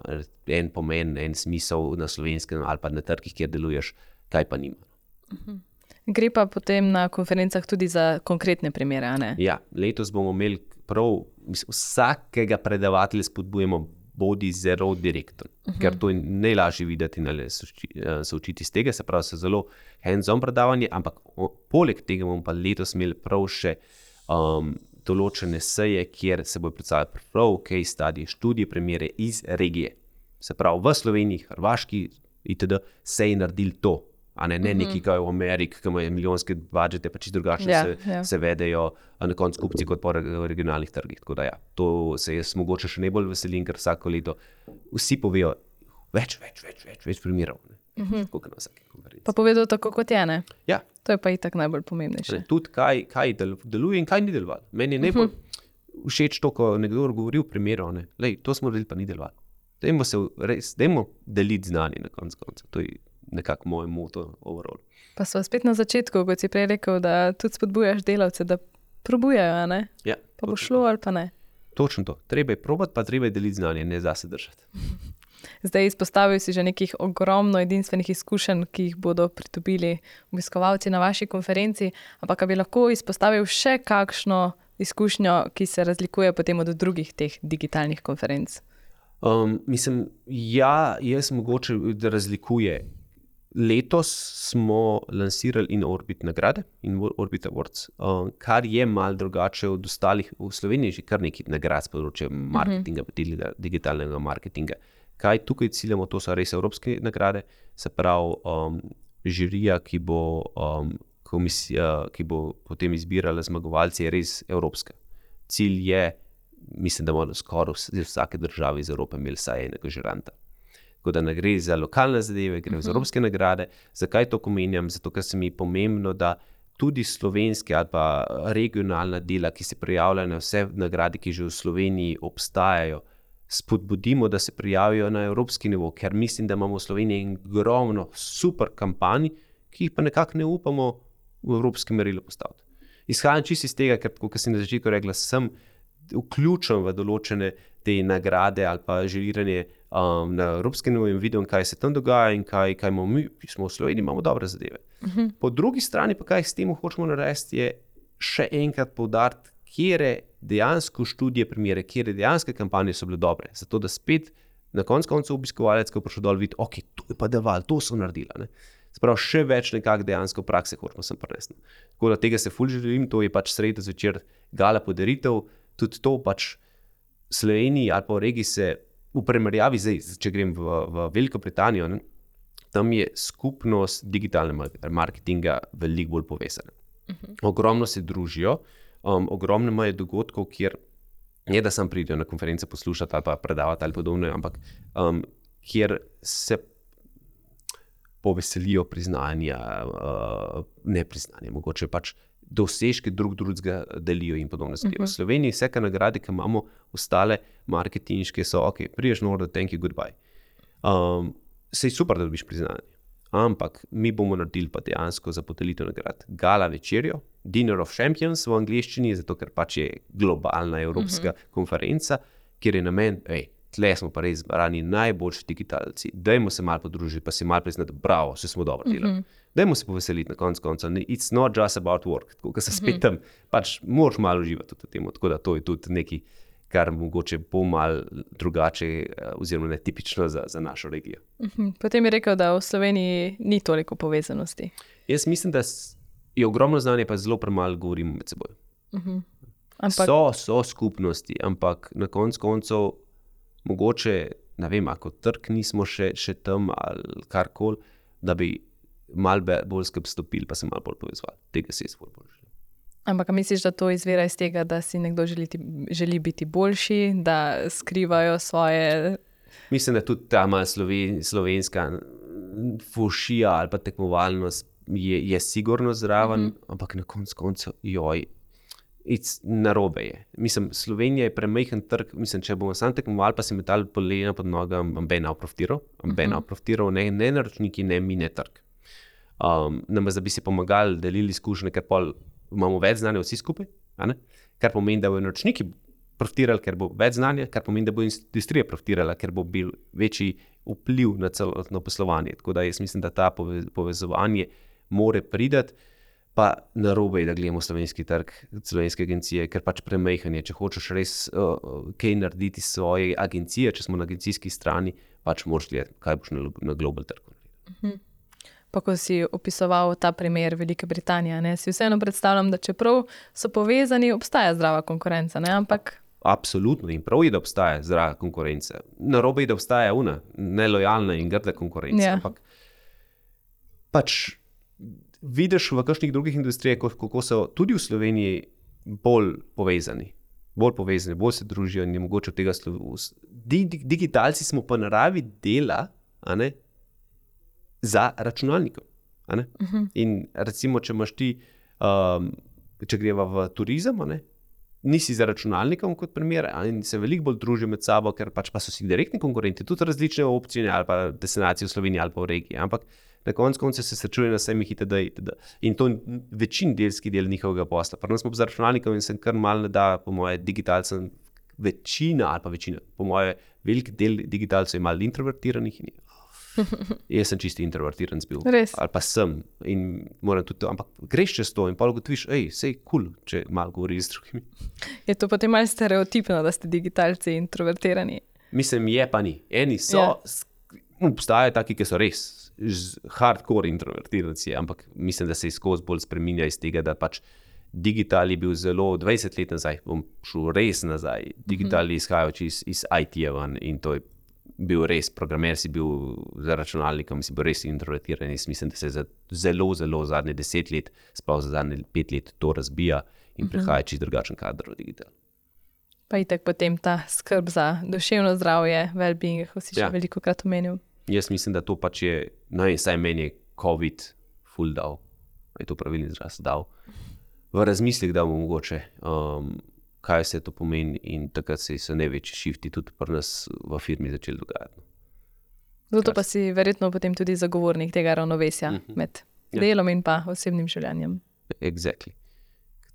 en pomen, en smisel na slovenskem ali pa na trgih, kjer deluješ, kaj pa nima. Uh-huh. Gre pa potem na konferencah tudi za konkretne primere, a ne? Ja, letos bomo imeli prav, mislim, vsakega predavatelja spodbujemo bodi zelo direkten, uh-huh. ker to je najlažje videti in se učiti iz tega, se pravi, se zelo hands-on predavanje, ampak o, poleg tega bomo pa letos imeli prav še um, določene seje, kjer se bo predstavljati prav case study, študije, primere iz regije. Se pravi, v Sloveniji, Hrvaški itd. Se je naredili to, a ne, ne uh-huh. neki kaj v Ameriki, ki imajo milijonske budžete, pa čisto drugačno ja, se, ja. se vedejo na koncu kupci kot po regionalnih trgih. Tako da ja, to se jaz mogoče še najbolj veselim, ker vsako leto vsi povejo več, več, več, več, več primerov. Uh-huh. Tako na vsaki konferenci. Pa povedo tako, kot je, ne? Ja. To je pa itak najbolj pomembnejše. Tudi kaj, kaj deluje in kaj ni delovalo. Meni je najbolj uh-huh. všeč to, ko nekdo govori v primeru, ne? Lej, to smo delili, pa ni delovalo. Dajmo se res, dajmo deliti znanje na koncu konca. To je nekako moj moto overall. Pa so spet na začetku, kot si prej rekel, da tudi spodbujaš delavce, da probujajo, ne? Ja. Pa bo šlo ali pa ne. Točno to. Treba je probati, pa treba je deliti znanje, ne zase držati. Zdaj izpostavil si že nekih ogromno edinstvenih izkušenj, ki jih bodo pridobili obiskovalci na vaši konferenci, ampak bi lahko izpostavil še kakšno izkušnjo, ki se razlikuje potem od drugih teh digitalnih konferenc? Um, mislim, ja, jaz mogoče da razlikuje. Letos smo lansirali In-Orbit nagrade, In-Orbit Awards, um, kar je malo drugače od ostalih. V Sloveniji že kar nekaj nagrad s področja marketinga, uh-huh. digitalnega marketinga. Kaj tukaj ciljamo, to so res evropske nagrade, se pravi um, žirija, ki bo, um, komisija, ki bo potem izbirala zmagovalce, je res evropska. Cilj je, mislim, da bomo skoraj vsake države iz Evrope imeli vsaj enega žiranta. Tako da ne gre za lokalne zadeve, gre za evropske nagrade. Zakaj to omenjam? Zato, ker se mi je pomembno, da tudi slovenske ali pa regionalna dela, ki se prijavljajo na vse nagrade, ki že v Sloveniji obstajajo, spodbudimo, da se prijavijo na evropski nivo, ker mislim, da imamo v Sloveniji ogromno super kampanj, ki jih pa nekako ne upamo v evropski merilo postaviti. Izhajam čisto iz tega, ker, kot sem na začetku rekla, sem vključen v določene te nagrade ali pa želiranje um, na evropski nivo in vidim, kaj se tam dogaja in kaj, kaj imamo mi, ki smo v Sloveniji, imamo dobre zadeve. Uh-huh. Po drugi strani pa kaj s tem hočemo narediti, je še enkrat poudariti, kjere dejansko študije primere, kjere dejanske kampanje so bile dobre, zato da spet na koncu koncev obiskovalec, ko prišel dol, vidi, ok, to je pa deval, to so naredila. Ne? Sprav, še več nekak dejansko prakse hočemo sem prenesti. Tako da tega se ful želim, to je pač sredo zvečer gala podaritev, tudi to pač Sloveniji ali pa v regiji se v primerjavi zdaj, če grem v, v Veliko Britanijo, ne, tam je skupnost digitalnega marketinga veliko bolj povezana. Uh-huh. Ogromno se družijo, um, ogromno imajo dogodkov, kjer ne da sam pridejo na konference poslušati ali pa predavati ali podobno, ampak um, kjer se poveselijo priznanja, uh, ne priznanja, mogoče pač dosežke drug drugega delijo in podobno. Uh-huh. V Sloveniji vse nagrade, ki imamo ostale marketinške, so ok, priješ noro, thank you, goodbye. Um, sej super, da dobiš priznanje. Ampak mi bomo naredili pa dejansko za podelitev nagrad gala večerjo, Dinner of Champions v angleščini, zato ker pač je globalna evropska uh-huh. konferenca, kjer je namen, ej, tle smo pa res zbrani najboljši digitalci, dajmo se malo podružiti, pa si malo priznati, bravo, vse smo dobro delali. Uh-huh. Dajmo se poveseliti na koncu konca. It's not just about work. Tako, ko se spet tam, pač moraš malo uživati v tem. Tako da to je tudi nekaj, kar mogoče bo malo drugače oziroma netipično za, za našo regijo. Uh-huh. Potem je rekel, da v Sloveniji ni toliko povezanosti. Jaz mislim, da je ogromno znanje, pa zelo premalo govorimo med seboj. Uh-huh. Ampak... So, so skupnosti, ampak na koncu koncev mogoče, ne vem, ako trg nismo še, še tam ali karkoli, da bi malo bolj skupaj stopili, pa se malo bolj povezvali. Tega se je svoj bolj želim. Ampak misliš, da to izvira iz tega, da si nekdo želi, želi biti boljši, da skrivajo svoje... Mislim, da tudi ta malo sloven, slovenska fušija ali pa tekmovalnost je, je sigurno zraven, mm-hmm. ampak na koncu koncev, joj, narobe je. Mislim, Slovenija je premajhen trg, mislim, če bomo sam tekmovali, pa se metali polena pod nogam, amben profitiral, amben uh-huh. profitiral, ne, ne naročniki, ne mi, ne trg. Um, namesto da bi si pomagali, delili izkušnje, ker pol imamo več znanja vsi skupaj, a ne? Kar pomeni, da bodo naročniki profitirali, ker bo več znanja, kar pomeni, da bo industrija profitirala, ker bo bil večji vpliv na celotno poslovanje. Tako da jaz mislim, da ta povezovanje more pridati, pa narobe je, da gledamo slovenski trg, slovenske agencije, ker pač premajhanje. Če hočeš res uh, kaj narediti s svoje agencije, če smo na agencijski strani, pač moraš gledati, kaj boš na, na global trgu narediti. Mhm. Pa ko si opisoval ta primer Velike Britanije, ne, si vseeno predstavljam, da čeprav so povezani, obstaja zdrava konkurenca, ne, ampak... Absolutno, in prav je, da obstaja zdrava konkurenca. Narobe je, da obstaja una nelojalna in grda konkurenca, ja. Ampak pač vidiš v kakšnih drugih industrijah, kako so tudi v Sloveniji bolj povezani, bolj povezani, bolj se družijo in je mogoče od tega slovo. Digitalci smo pa naravi dela, a ne, za računalnikom. A ne? Uh-huh. In recimo, če imaš ti, um, če greva v turizem, a ne, nisi za računalnikom kot primer, in se veliko bolj družijo med sabo, ker pač pa so si direktni konkurenti, tudi različne opcije ali pa destinacije v Sloveniji ali pa v regiji, ampak na koncu konca se srečuje na semih itd. itd. In to je večin delski del njihovega posla. Prvo smo za računalnikom in sem kar malo ne da, po moje, digitalcem večina ali pa večina, po moje, velik del digitalcev je malo introvertiranih in jaz sem čisti introvertiran bil. Res? Ali pa sem in moram tudi to, ampak greš čez to in pa ugotoviš, ej, sej cool, če malo govoriš z drugimi. Je to potem malo stereotipno, da ste digitalci introvertirani? Mislim, je pa ni. Eni so, yeah. obstajajo taki, ki so res hardcore introvertiranci, ampak mislim, da se skozi bolj spreminja iz tega, da pač digital je bil zelo dvajset let nazaj, bom šel res nazaj, digital je izhajajoč iz, iz I T-ja ven in to je bil res, programer si bil za računalnikom, si bil res introvertiran in mislim, da se za zelo, zelo zadnje deset let, sploh za zadnje pet let to razbija in uh-huh. prihaja čist drugačen kader v digital. Pa itak potem ta skrb za duševno zdravje, well-being, ko si ja. še veliko krat omenil. Jaz mislim, da to pač je, no in saj meni je COVID ful dal, je to pravilni izraz dal, v razmislih dal mu mogoče, um, kaj se to pomeni in takrat se so največji šifti tudi pri nas v firmi začeli dogajati. Zato pa si verjetno potem tudi zagovornik tega ravnovesja uh-huh. med ja. delom in pa osebnim življenjem. Exactly.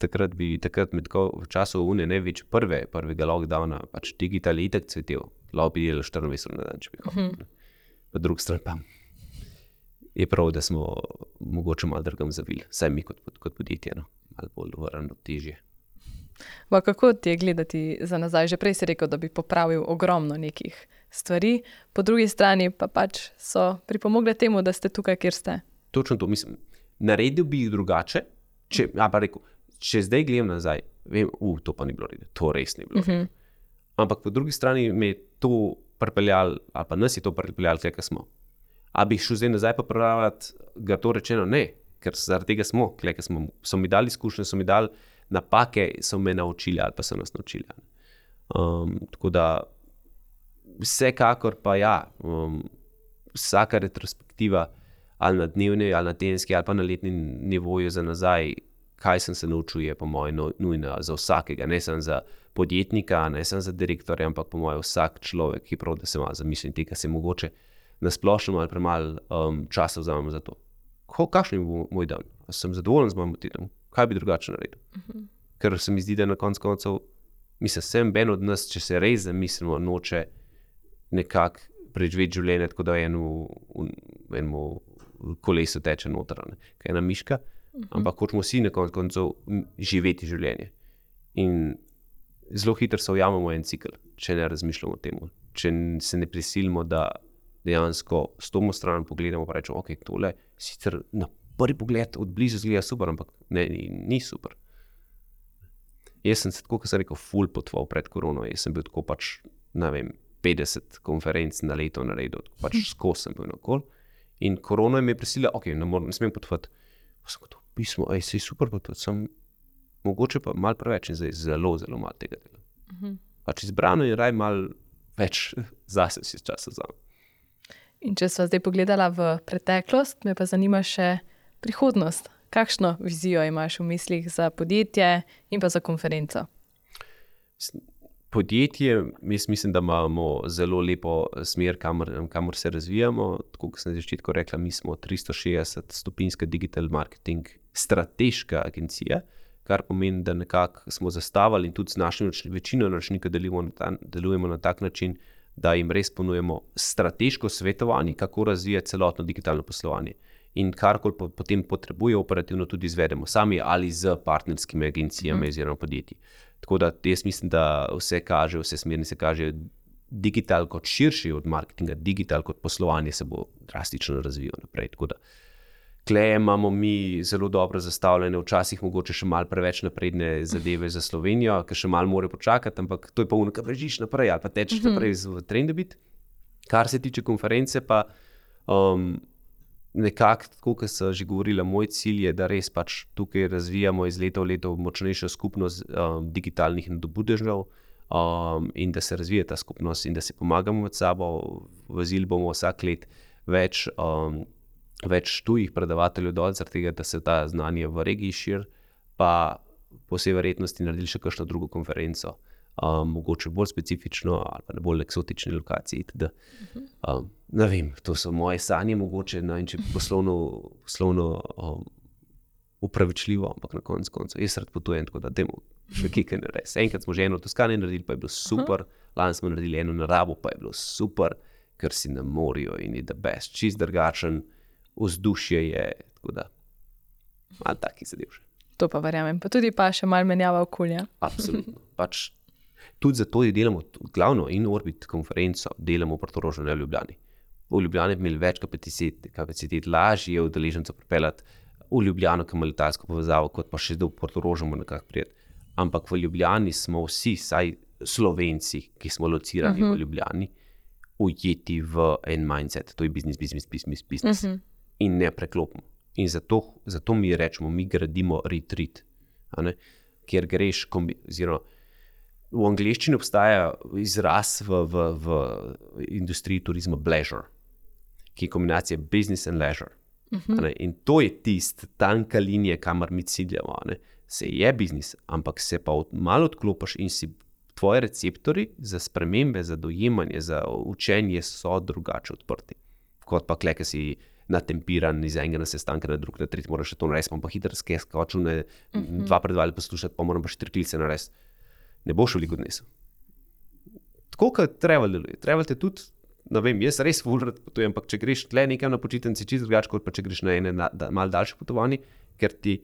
Takrat bi, takrat med v času une največ prve, prvega lockdowna, pač digital je itak cvetel. Lahko bi delal štirinajst ur na dan, če bi hotel. Uh-huh. Po drugi strani pa je prav, da smo mogoče malo drugam zavili. Saj mi kot, kot podjetje, no. Malo bolj vrno težje. Ba, kako ti je gledati za nazaj? Že prej si rekel, da bi popravil ogromno nekih stvari, po drugi strani pa pač so pripomogle temu, da ste tukaj, kjer ste. Točno to, mislim, naredil bi jih drugače, če, a pa rekel, če zdaj gledam nazaj, vem, uh, to pa ni bilo redno, to res ni bilo redno. Uh-huh. Ampak po drugi strani me je to pripeljal, ali pa nas je to pripeljal, kjer smo. A bi šel zdaj nazaj popravljati, ga to rečeno, ne, ker zaradi tega smo, kjer smo, so mi dali izkušnje, so mi dali napake, so me naučili ali pa so nas naučili. Um, tako da vsekakor pa ja, um, vsaka retrospektiva ali na dnevni, ali na tedenski, ali pa na letni nivoju za nazaj, kaj sem se naučil, je po moje nujno za vsakega, ne samo za podjetnika, ne samo za direktorja, ampak po moje vsak človek, ki prav, da se malo zamisli tega, se mogoče na splošno ali premalo um, časa vzamem za to. Ko, kakšen je moj dan? Sem zadovoljen z mojim tednom? Kaj bi drugače naredil? Uh-huh. Ker se mi zdi, da na konc koncev, mislim, sem ben od nas, če se res zamislimo, noče nekako preživeti življenje, tako da eno v enemu kolesu teče noter, kaj je ena miška, uh-huh. ampak hočemo vsi na konc koncev živeti življenje. In zelo hitro se ujamemo en cikl, če ne razmišljamo o tem. Če se ne prisilimo, da dejansko s tomu stran pogledamo pa rečemo, ok, tole sicer na prvi pogled od blizu zgleda super, ampak ne, ni, ni super. Jaz sem se tako, kot sem rekel, ful potval pred korono. Jaz sem bil tako pač, ne vem, petdeset konferenc na leto naredil, pač skozi sem bil nakol. In korona mi je prisilila, ok, ne, moram, ne smem potvati. Pa sem kot pismo, ej, sej super potvati, sem mogoče pa malo preveč in zdaj zelo, zelo malo tega dela. Uh-huh. Pač izbrano je raj malo več zase si časa vzamem. In če sva zdaj pogledala v preteklost, me pa zanima še prihodnost. Kakšno vizijo imaš v mislih za podjetje in pa za konferenco? Podjetje, jaz mislim, da imamo zelo lepo smer, kamor, kamor se razvijamo. Tako kot sem na začetku rekla, mi smo tristo šestdeset stopinjska digital marketing strateška agencija, kar pomeni, da nekako smo zastavili in tudi z našim večino naročnikov delujemo na, ta, delujemo na tak način, da jim res ponujemo strateško svetovanje, kako razvijati celotno digitalno poslovanje. In karkoli po, potem potrebuje operativno tudi izvedemo sami ali z partnerskimi agencijami oziroma podjetji. Tako da jaz mislim, da vse kaže, vse smernice kaže, digital kot širši od marketinga, digital kot poslovanje se bo drastično razvijal naprej. Tako da tukaj imamo mi zelo dobro zastavljene, včasih mogoče še malo preveč napredne zadeve za Slovenijo, ker še malo more počakati, ampak to je pa unika, bežiš naprej ali pa tečeš naprej v trendu biti. Kar se tiče konference pa um, nekako, tako kot sem že govorila, moj cilj je, da res pač tukaj razvijamo iz leta v leto močnejšo skupnost um, digitalnih nadobudežev um, in da se razvija ta skupnost in da se pomagamo med sabo. Vozili bomo vsak let več, um, več tujih predavateljev dol, zaradi tega, da se ta znanje v regiji širi, pa po vsej verjetnosti naredili še kakšno drugo konferenco. Um, mogoče bolj specifično ali pa na bolj eksotični lokaciji. Teda, um, ne vem, to so moje sanje mogoče, no, in če poslovno, poslovno um, upravičljivo, ampak na koncu koncev jaz rad potujem, tako da dajmo še kaj ne res. Enkrat smo že eno v Toskani naredili, pa je bilo super, lani smo naredili eno na Rabu, pa je bilo super, ker si na morju in je the best, čist drugačen, vzdušje je, tako da malo takih zadev še. To pa verjamem, pa tudi pa še malo menjava okolja. Absolutno, pač tudi zato je delamo glavno in Orbit konferenco delamo v Portorožu, ne v Ljubljani. V Ljubljani bi imeli več kapacitet, kapacitet lažje je udeležencev pripeljati v Ljubljano, ki ima letalsko povezavo, kot pa še do Portoroža nekako prijeti. Ampak v Ljubljani smo vsi, saj Slovenci, ki smo locirani uh-huh. v Ljubljani, ujeti v en mindset, to je biznis, biznis, biznis, biznis uh-huh. in ne preklopimo. In zato, zato mi rečemo, mi gradimo retreat, a ne? Kjer greš, kombi, oziroma v angleščini obstaja izraz v, v, v industriji turizma pleasure, ki je kombinacija business and leisure. Uh-huh. In to je tist, tanka linija, kamor mi ciljamo. Ne? Se je biznis, ampak se pa od, malo odklopiš in si tvoji receptori za spremembe, za dojemanje, za učenje so drugače odprti. Kot pa kle, ki si natempiran iz enega na sestanka na drug, na tretji moraš še to narediti, pa hitro skočil, ne, uh-huh. dva predvali poslušati, pa moram pa še tri klice narediti. Ne boš veliko odnesel. Tako kot travel deluje. Travel te tudi, ne vem, jaz res ful rad potujem, ampak če greš tle nekam na počitnici, čisto drugače, kot pa če greš na ene na, da, malo daljše potovanje, ker ti,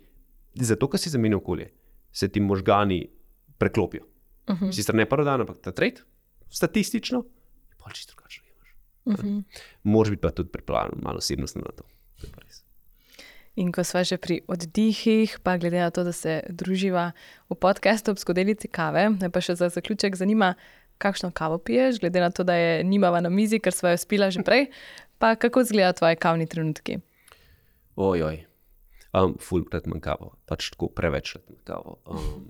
zato, ker si zamenil okolje, se ti možgani preklopijo. Uh-huh. Sicer ne prvi dan, ampak ta tret, statistično, je pa čisto drugače. Uh-huh. Moraš biti pa tudi pripravljen malo osebnostno na to. To je pa res. In ko sva že pri oddihih, pa glede na to, da se druživa v podcastu ob skodelici kave, me pa še za zaključek zanima, kakšno kavo piješ, glede na to, da je nimava na mizi, ker sva jo spila že prej, pa kako izgleda tvoji kavni trenutki? Ojoj, um, ful krat manj kavo, pač tako preveč krat manj kavo. Um,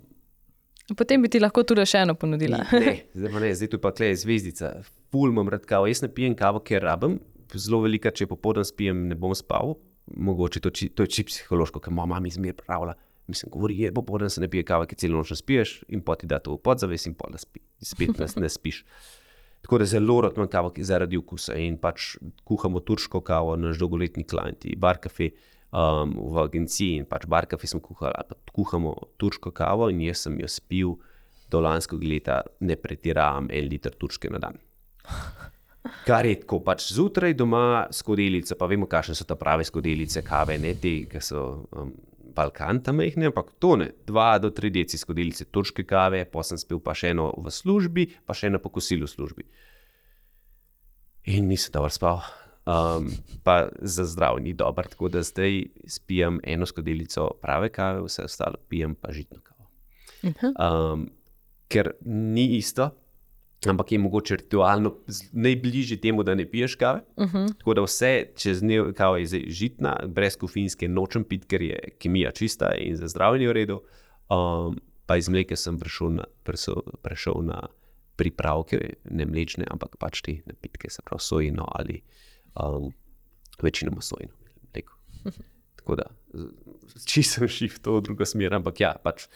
Potem bi ti lahko tudi še eno ponudila. Ne, zdaj pa ne, zdaj tu pa tle je zvezdica. Ful imam rad kavo, jaz ne pijem kavo, ker rabim, zelo velika, če popoldan spijem, ne bom spal. Mogoče to, to je čisto psihološko, ker moja mama izmer pravila, mislim, govori, je, popoldan se ne pije kava, ki celo noč ne spiješ in poti da to v podzaves in pol da spi, spet ne, ne spiš. Tako da zelo rad imam kavo zaradi okusa in pač kuhamo turško kavo, naš dolgoletni klienti, Bar Cafe um, v agenciji in pač Bar Cafe smo kuhali, ali pa kuhamo turško kavo in jaz sem jo spil do lanskega leta, ne pretiravam, en liter turške na dan. Kar je tako, pač zjutraj doma skodelice, pa vemo, kakšne so ta prave skodelice, kave, ne te, ki so um, Balkan tam mehne, ampak to ne, dva do tri deci skodelice turške kave, pa sem spil pa še eno v službi, pa še eno po kosilu v službi. In nisem dobro spal, um, pa za zdrav ni dober, tako da zdaj spijem eno skodelico prave kave, vse ostalo pijem pa žitno kavo. Um, ker ni isto, ampak je mogoče ritualno najbližje temu, da ne piješ kave. Uh-huh. Tako da vse čez dnev kava je žitna, brez kofeinske nočem piti, ker je kemija čista in za zdravljenje v redu. Um, pa iz mleka sem prešel na, prešel, prešel na pripravke, ne mlečne, ampak pač te napitke, se pravi sojino ali um, večinoma sojino mleko. Uh-huh. Tako da čisto shift v drugo smer, ampak ja, pač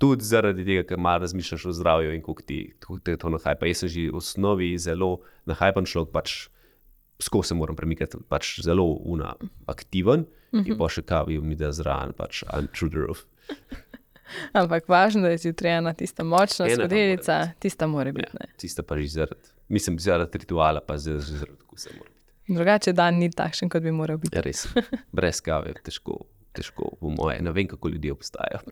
tudi zaradi tega, ker malo razmišljaš o zdravju in koliko ti, koliko te to nahajpa. Jaz sem že v osnovi zelo nahajpan človek, pač skozi se moram premikati, pač zelo una, aktiven mm-hmm. in pa še kavi mi da zraven, pač I'm through the roof. Ampak važno, da je zjutrajna tista močna skodelica, tista mora biti. Ja, tista pa že zaradi, mislim, zaradi rituala, pa zaradi okusa mora biti. Drugače dan ni takšen, kot bi moral biti. Ja, res, brez kave je težko, težko po moje. Ne vem, kako ljudje obstajajo.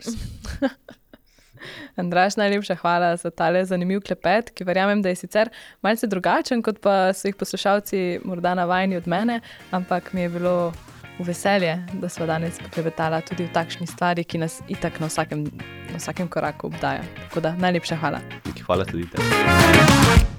Andraž, najlepša hvala za tale zanimiv klepet, ki verjamem, da je sicer malce drugačen, kot pa so jih poslušalci morda navajeni od mene, ampak mi je bilo v veselje, da sva danes poklepetala tudi v takšni stvari, ki nas itak na vsakem, na vsakem koraku obdaja. Tako da, najlepša hvala. Hvala tudi tebi.